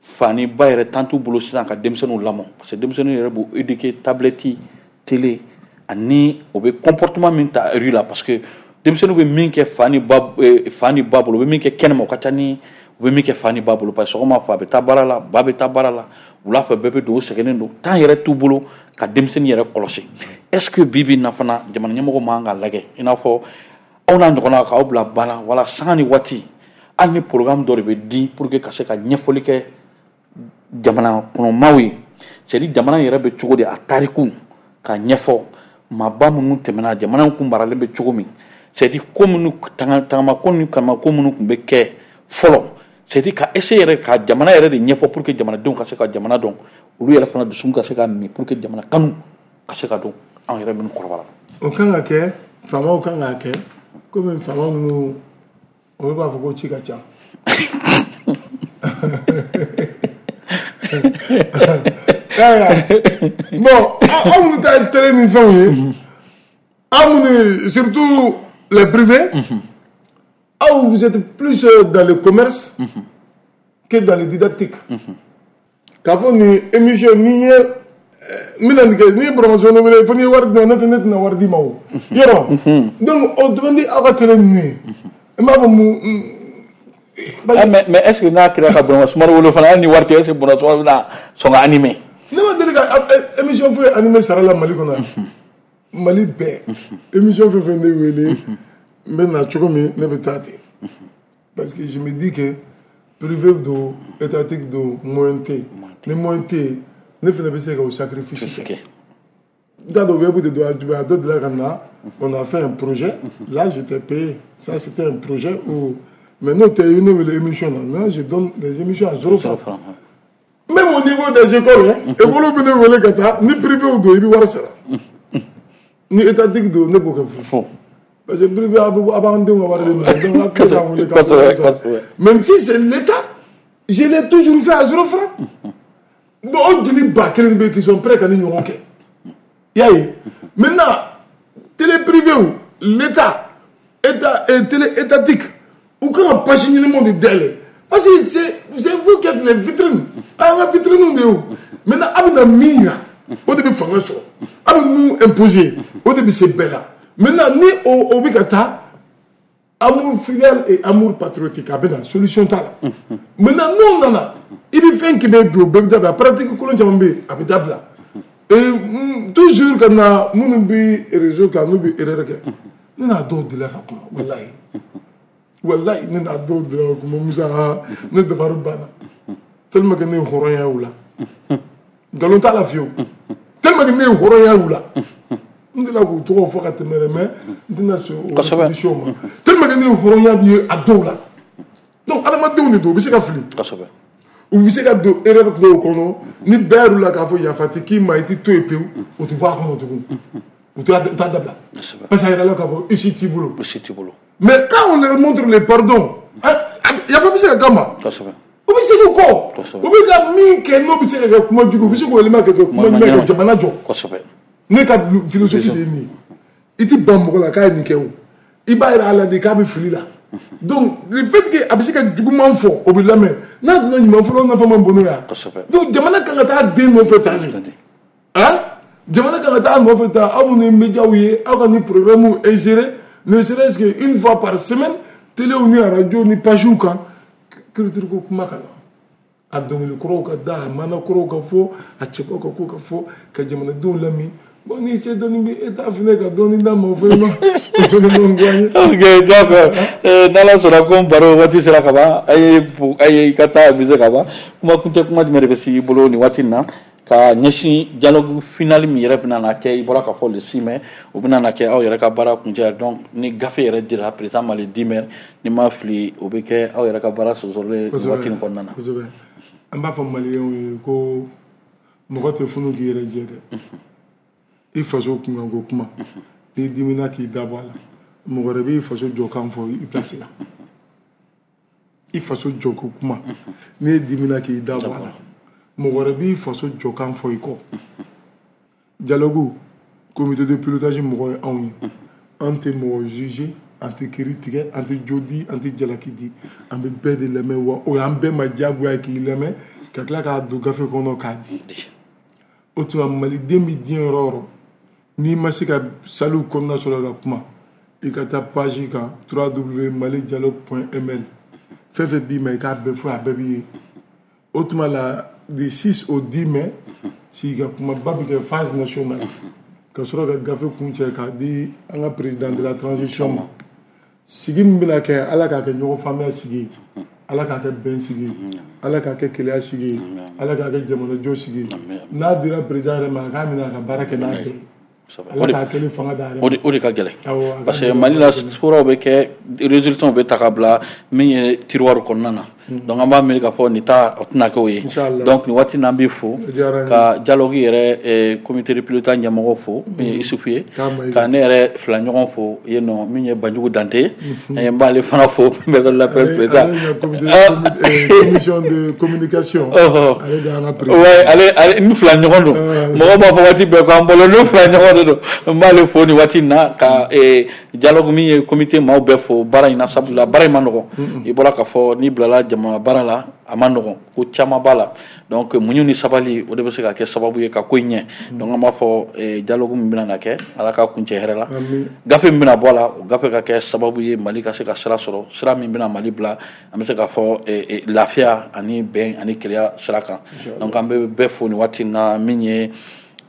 fa ni ba yɛrɛ tan t'u bolo sisan ka denmisɛnninw lamɔ, parce que denmisɛnninw yɛrɛ b'u éduquer tablette, télé, ani o bɛ comportement min ta rue la, parce que denmisɛnninw bɛ min kɛ fa ni ba fa ni ba bolo, u bɛ min kɛ kɛnɛma, o ka ca ni u bɛ min kɛ fa ni ba bolo, parce que sɔgɔma fa bɛ taa baara la, ba bɛ taa baara la, wula fɛ bɛɛ bɛ don, u sɛgɛnnen don, temps yɛrɛ t'u bolo ka denmisɛnnin yɛrɛ kɔlɔsi. Est ce que bi bi in na fana, jamana ɲɛmɔgɔ man kan ka lajɛ i n'a fɔ aw n'a ɲɔgɔnna k'aw bila ba la, wala sanga ni waati, hali ni programme dɔ de bɛ di pour que ka se ka ɲɛfɔli kɛ jamana kɔnɔmaw ye, c'est à dire jamana yɛrɛ bɛ cogo di, a tariku ka ɲɛfɔ, maaba minnu tɛmɛna, jamana kun maralen bɛ cogo min, c'est à dire ko minnu tagama ko ni kama ko minnu tun bɛ kɛ fɔlɔ, c'est à dire ka essayer yɛrɛ ka jamana yɛrɛ de ɲɛfɔ pour que jamanadenw ka se ka jamana dɔn, olu yɛrɛ fana dusukun ka se ka min pour que jamana kanu ka se ka don anw yɛrɛ minnu kɔrɔbara. O kan ka kɛ, faamaw kan k'a kɛ, komi faama minnu olu b'a fɔ ko ci ka ca. Bon, aw minnu ta ye télé ni fɛnw ye, aw minnu, surtout les privés, aw, vous êtes plus dans le commerce que dans le didactique. K'a fɔ nin émission ni ye n bɛna nin kɛ, n'i ye promotion wele fo n'i ye wari di ma, ne tɛ ne tɛna wari d'i ma o yɔrɔ. Donc o demain di aw ka télé ninnu ye, n b'a fɔ mun. Mais mais est ce que n'a kɛra ka Burama Sumaro wele fana, hali ni wari tɛ, est ce que Burama Sumaro bɛna sɔn ka animer? Ne ma deli ka émission foyi animer sara la Mali kɔnɔ yan. Mali bɛɛ émission fɛn fɛn ne wele, n bɛ na cogo min, ne bɛ taa ten, parce que je me dis que privé don, étatique don, moyen tɛ yen, ni moyen tɛ yen, ne fana bɛ se ka o sacrifice kɛ. N t'a dɔn web de don, a dɔ delila ka na, on a fait un projet là, j'étais payé, ça c'était un projet où, mais n'o tɛ, i ne wele émission na, non, je donne les émissions à zéro franc. Même au niveau des écoles, hein, école bɛ ne wele ka taa, ni privé don, i bɛ wari sara, ni étatique don, ne b'o kɛ fu, parce que privé a b'an denw ka wari de minɛ, donc a tɛ se k'an wele ka taa sara. Même si c'est l'État, je l'ai toujours fait à zéro franc. Bon, o jeli ba kelen bɛ yen qui sont prêts ka ni ɲɔgɔn kɛ, i y'a ye. Maintenant télé privée ou l'État, état télé étatique, u kan ka page ɲɛnamaw de dayɛlɛ, parce que c'est c'est vous qui êtes les vitrines, an ka vitrines de ye o. Maintenant a bɛna min yira, o de bɛ fanga sɔrɔ, a bɛ mun imposer, o de bɛ se bɛɛ la. Maintenant ni o o bɛ ka taa amour filial et amour patriotique, a bɛ na solution t'a la. Maintenant n'o nana, i bɛ fɛn kɛmɛ bi, o bɛɛ bɛ dabila, pratique kolon caman bɛ yen, a bɛ dabila. Et toujours ka na minnu bɛ réseau kan, n'u bɛ erreur kɛ, ne n'a dɔw delila ka kuma, walayi walayi, ne n'a dɔw delila ka kuma, Musa, ne dabari banna tellement que ne ye hɔrɔnya y'u la, nkalon t'a la fiyewu, tellement que ne ye hɔrɔnya y'u la, n delila k'u tɔgɔ fɔ ka tɛmɛ dɛ, mais n tɛna sɔn o répétition ma, tellement que ne ye hɔrɔnya ye a dɔw la. Donc adamadenw de don, u bɛ se ka fili, u bɛ se ka don erreur dɔw kɔnɔ, ni bɛɛ y'u la k'a fɔ yafa tɛ k'i ma, i tɛ to yen pewu, o tɛ bɔ a kɔnɔ tugun, u t'a dabila, parce que a yɛrɛ la k'a fɔ issue t'i bolo. Issue t'i bolo. Mais quand on leur montre le pardon, yafa bɛ se ka k'a ma, u bɛ segin kɔ, u bɛ ka min kɛ n'o bɛ se ka kɛ kuma jugu, u bɛ se k'o yɛlɛma ka kɛ kuma ɲuman ye ka jamana jɔ. Ne ka philosophie de ye nin ye, i tɛ ban mɔgɔ la k'a ye nin kɛ o, i b'a yira a la de k'a bɛ fili la. Donc le fait que a bɛ se ka juguman fɔ, o bɛ lamɛn, n'a donna ɲuman fɔlɔ, nafa man bon n'o ye. Donc jamana kan ka taa den nɔfɛ tan de, han, jamana kan ka taa nɔfɛ tan, aw minnu ye médiaw ye, aw ka nin programme insérer, ne serait-ce que une fois par semaine, téléw ni radio ni pagew kan, culture ko kuma ka na, a dɔnkili kɔrɔw ka da, a mana kɔrɔw ka fɔ, a cɛbaw ka ko ka fɔ, ka jamanadenw lamɛn. Bon, ni se dɔɔni bɛ État fana ka dɔɔni d'a ma, o fana ma o fana ma goya n ye. Ok, d'accord, n'Ala sɔnna ko baro waati sera ka ban, a ye a ye i ka taa amuser ka ban. Kuma kuncɛ kuma jumɛn de bɛ se i bolo nin waati in na ka ɲɛsin dialogue final min yɛrɛ bɛna na kɛ, i bɔra ka fɔ le six mai, o bɛna na kɛ aw yɛrɛ ka baara kuncɛ, donc ni gafe yɛrɛ dira président ma le dix mai, ni ma fili, o bɛ kɛ aw yɛrɛ ka baara sɔsɔlen nin waati in kɔnɔna na. Kosɛbɛ, an b'a fɔ maliyɛnw ye ko mɔgɔ tɛ funu k'i yɛrɛ jɛ dɛ. I faso kunkanko kuma, n'i dimina k'i da bɔ a la, mɔgɔ wɛrɛ b'i faso jɔkan fɔ i place la. I faso jɔko kuma, n'i dimina k'i da bɔ a la, mɔgɔ wɛrɛ b'i faso jɔkan fɔ i kɔ. Dialogue comité de pilotage mɔgɔ ye anw ye. An tɛ mɔgɔ juger, an tɛ kiiri tigɛ, an tɛ jo di, an tɛ jalaki di, an bɛ bɛɛ de lamɛn. Wa o y'an bɛɛ ma diyagoya ye k'i lamɛn ka tila k'a don gafe kɔnɔ k'a di. O tuma maliden bɛ diɲɛ yɔrɔ o yɔrɔ, n'i ma se ka saliw kɔnɔna sɔrɔ ka kuma, i ka taa page kan w w w malidialogue point m l, fɛn fɛn b'i ma i k'a bɛɛ fɔ, a bɛɛ b'i ye. O tuma la du six au dix mai, sigi ka kumaba bɛ kɛ phase nationale, ka sɔrɔ ka gafe kuncɛ k'a di an ka président de la transition ma. Sigi min bɛna kɛ, Ala k'a kɛ ɲɔgɔn faamuya sigi ye, Ala k'a kɛ bɛn sigi ye, Ala k'a kɛ keleya sigi ye, Ala k'a kɛ jamanajɔ sigi ye. N'a dira président yɛrɛ ma, a k'a minɛ a ka baara kɛ n'a bɛɛ ye. Ala k'a kɛ ni fanga d'a yɛrɛ ma. O de o de ka gɛlɛn. Awɔ, a ka parce que gɛlɛn. Mali la furaw bɛ kɛ, résultats bɛ ta ka bila min ye tiroir kɔnɔna na. Donc an b'a miiri k'a fɔ nin ta o tɛna kɛ o ye. Inchallah. Donc nin waati n'an b'i fo O diyara n ye. ka dialogue yɛrɛ eh, comité de pilotage ɲɛmɔgɔ fo min ye Isufu ye, K'a ma i ka ne yɛrɛ fila ɲɔgɔn fo yen nɔ min ye Banjugu Dante ye, n b'ale fana fo maison de la presse Ale président. ale ka comité comité- euh, commission de communication. Ɔhɔ. Ale de y'an ka président. Ouais, ale ale ni fila ɲɔgɔn don. Ah, Mɔgɔw b'a fɔ waati bɛɛ ko an bolo n'u fila ɲɔgɔn de don. N b'ale fo nin waati in na ka eh, dialogue min ye comité maaw bɛɛ fo baara in na, sabula baara in ma nɔgɔn. I bɔra k'a fɔ n'i bilala jama baara la, a ma nɔgɔn, ko caman b'a la. Donc muɲu ni sabali, o de bɛ se ka kɛ sababu ye ka ko in ɲɛ. Donc an b'a fɔ eh, dialogue min bɛna na kɛ, Ala k'a kuncɛ hɛrɛ la. Amin. Gafe min bɛna bɔ a la, o gafe ka kɛ sababu ye Mali ka se ka sira sɔrɔ, sira min bɛna Mali bila an bɛ se k'a fɔ eh, eh, lafiya ani bɛn ani kelenya sira kan. Donc an bɛ bɛɛ fo nin waati in na min ye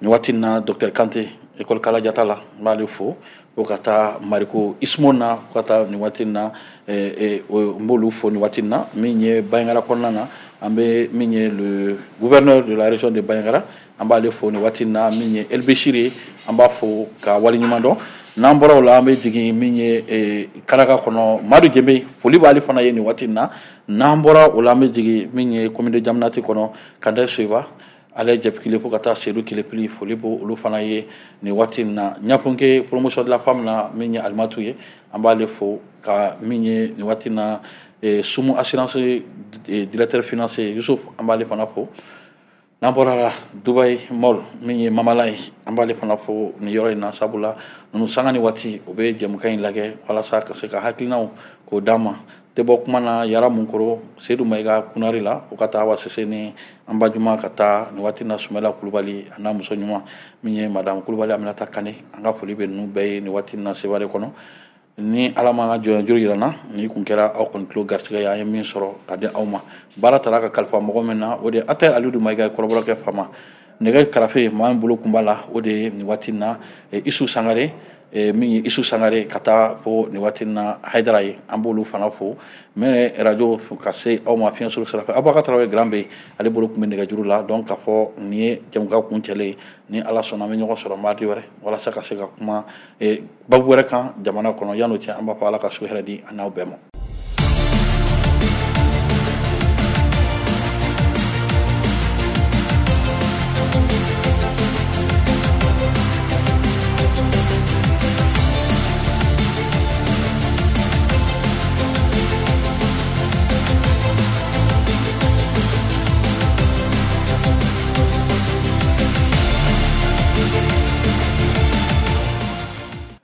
nin waati in na docteur Kante école Kalajata la, n b'ale fo, fo ka taa Mariko Ismo na, fo ka taa nin waati in na eh, eh, o- n b'olu fo nin waati in na min ye Bandiagara kɔnɔna na, an bɛ min ye le gouverneur de la région de Bandiagara, an b'ale fo nin waati in na min ye El Bechir ye, an b'a fo ka waleɲuman dɔn. N'an bɔra o la, an bɛ jigin min ye eh, Karaka kɔnɔ, Madu Jenbe, foli b'ale fana ye nin waati in na. N'an bɔra o la, an bɛ jigin min ye commune de Jamanati kɔnɔ, Kandɛ Soyiba, ale jɛpikile, fo ka taa Sedu Kelepili, foli b'o olu fana ye nin waati in na. Ɲafunke promotion de la femme na min ye Alimatu ye, an b'ale fo ka min ye nin waati in na eh, Sumu assurance eh, directeur financier Yusuf, an b'ale fana fo. N'an bɔra la, Dubai Mall min ye Mamala ye, an b'ale fana fo nin yɔrɔ in na, sabula ninnu sanga ni waati o bɛ jɛmukan in lajɛ walasa ka se ka hakilinaw k'o d'an ma. Tɛ bɔ kuma na Yara Munkoro, Seydou Mayiga Kunari la, o ka taa Awa Sise ni an ba Juma, ka taa nin waati in na Sumala Kulubali a n'a muso ɲuman min ye madame Kulubali Aminata Kane, an ka foli bɛ ninnu bɛɛ ye nin waati in na Sevare kɔnɔ. Ni Ala ma ka jɔn juru yira n na, ni kun kɛra aw kɔni tulo garisɛgɛ ye, an ye min sɔrɔ ka di aw ma. Baara taara ka kalifa mɔgɔ min na, o de ye Atɛ Alidu Mayiga ye, kɔrɔbɔrɔkɛ fama nɛgɛ karafe maa min bolo kun b'a la, o de ye nin waati in na eh, Isu Sangare, eh, min ye Isu Sangare, ka taa fo nin waati in na Hayidara ye, an b'olu fana fo. Mɛ radio ka se aw ma fiɲɛ suru sira fɛ, Abubakar Tarawele Grand bɛ ale bolo kun bɛ nɛgɛjuru la. Donc k'a fɔ nin ye jɛmukan kuncɛlen ye, ni Ala sɔnna an bɛ ɲɔgɔn sɔrɔ mardi wɛrɛ walasa ka se ka kuma eh, babu wɛrɛ kan jamana kɔnɔ. Yan'o cɛ, an b'a fɔ Ala ka su hɛrɛ di an n'aw bɛɛ ma.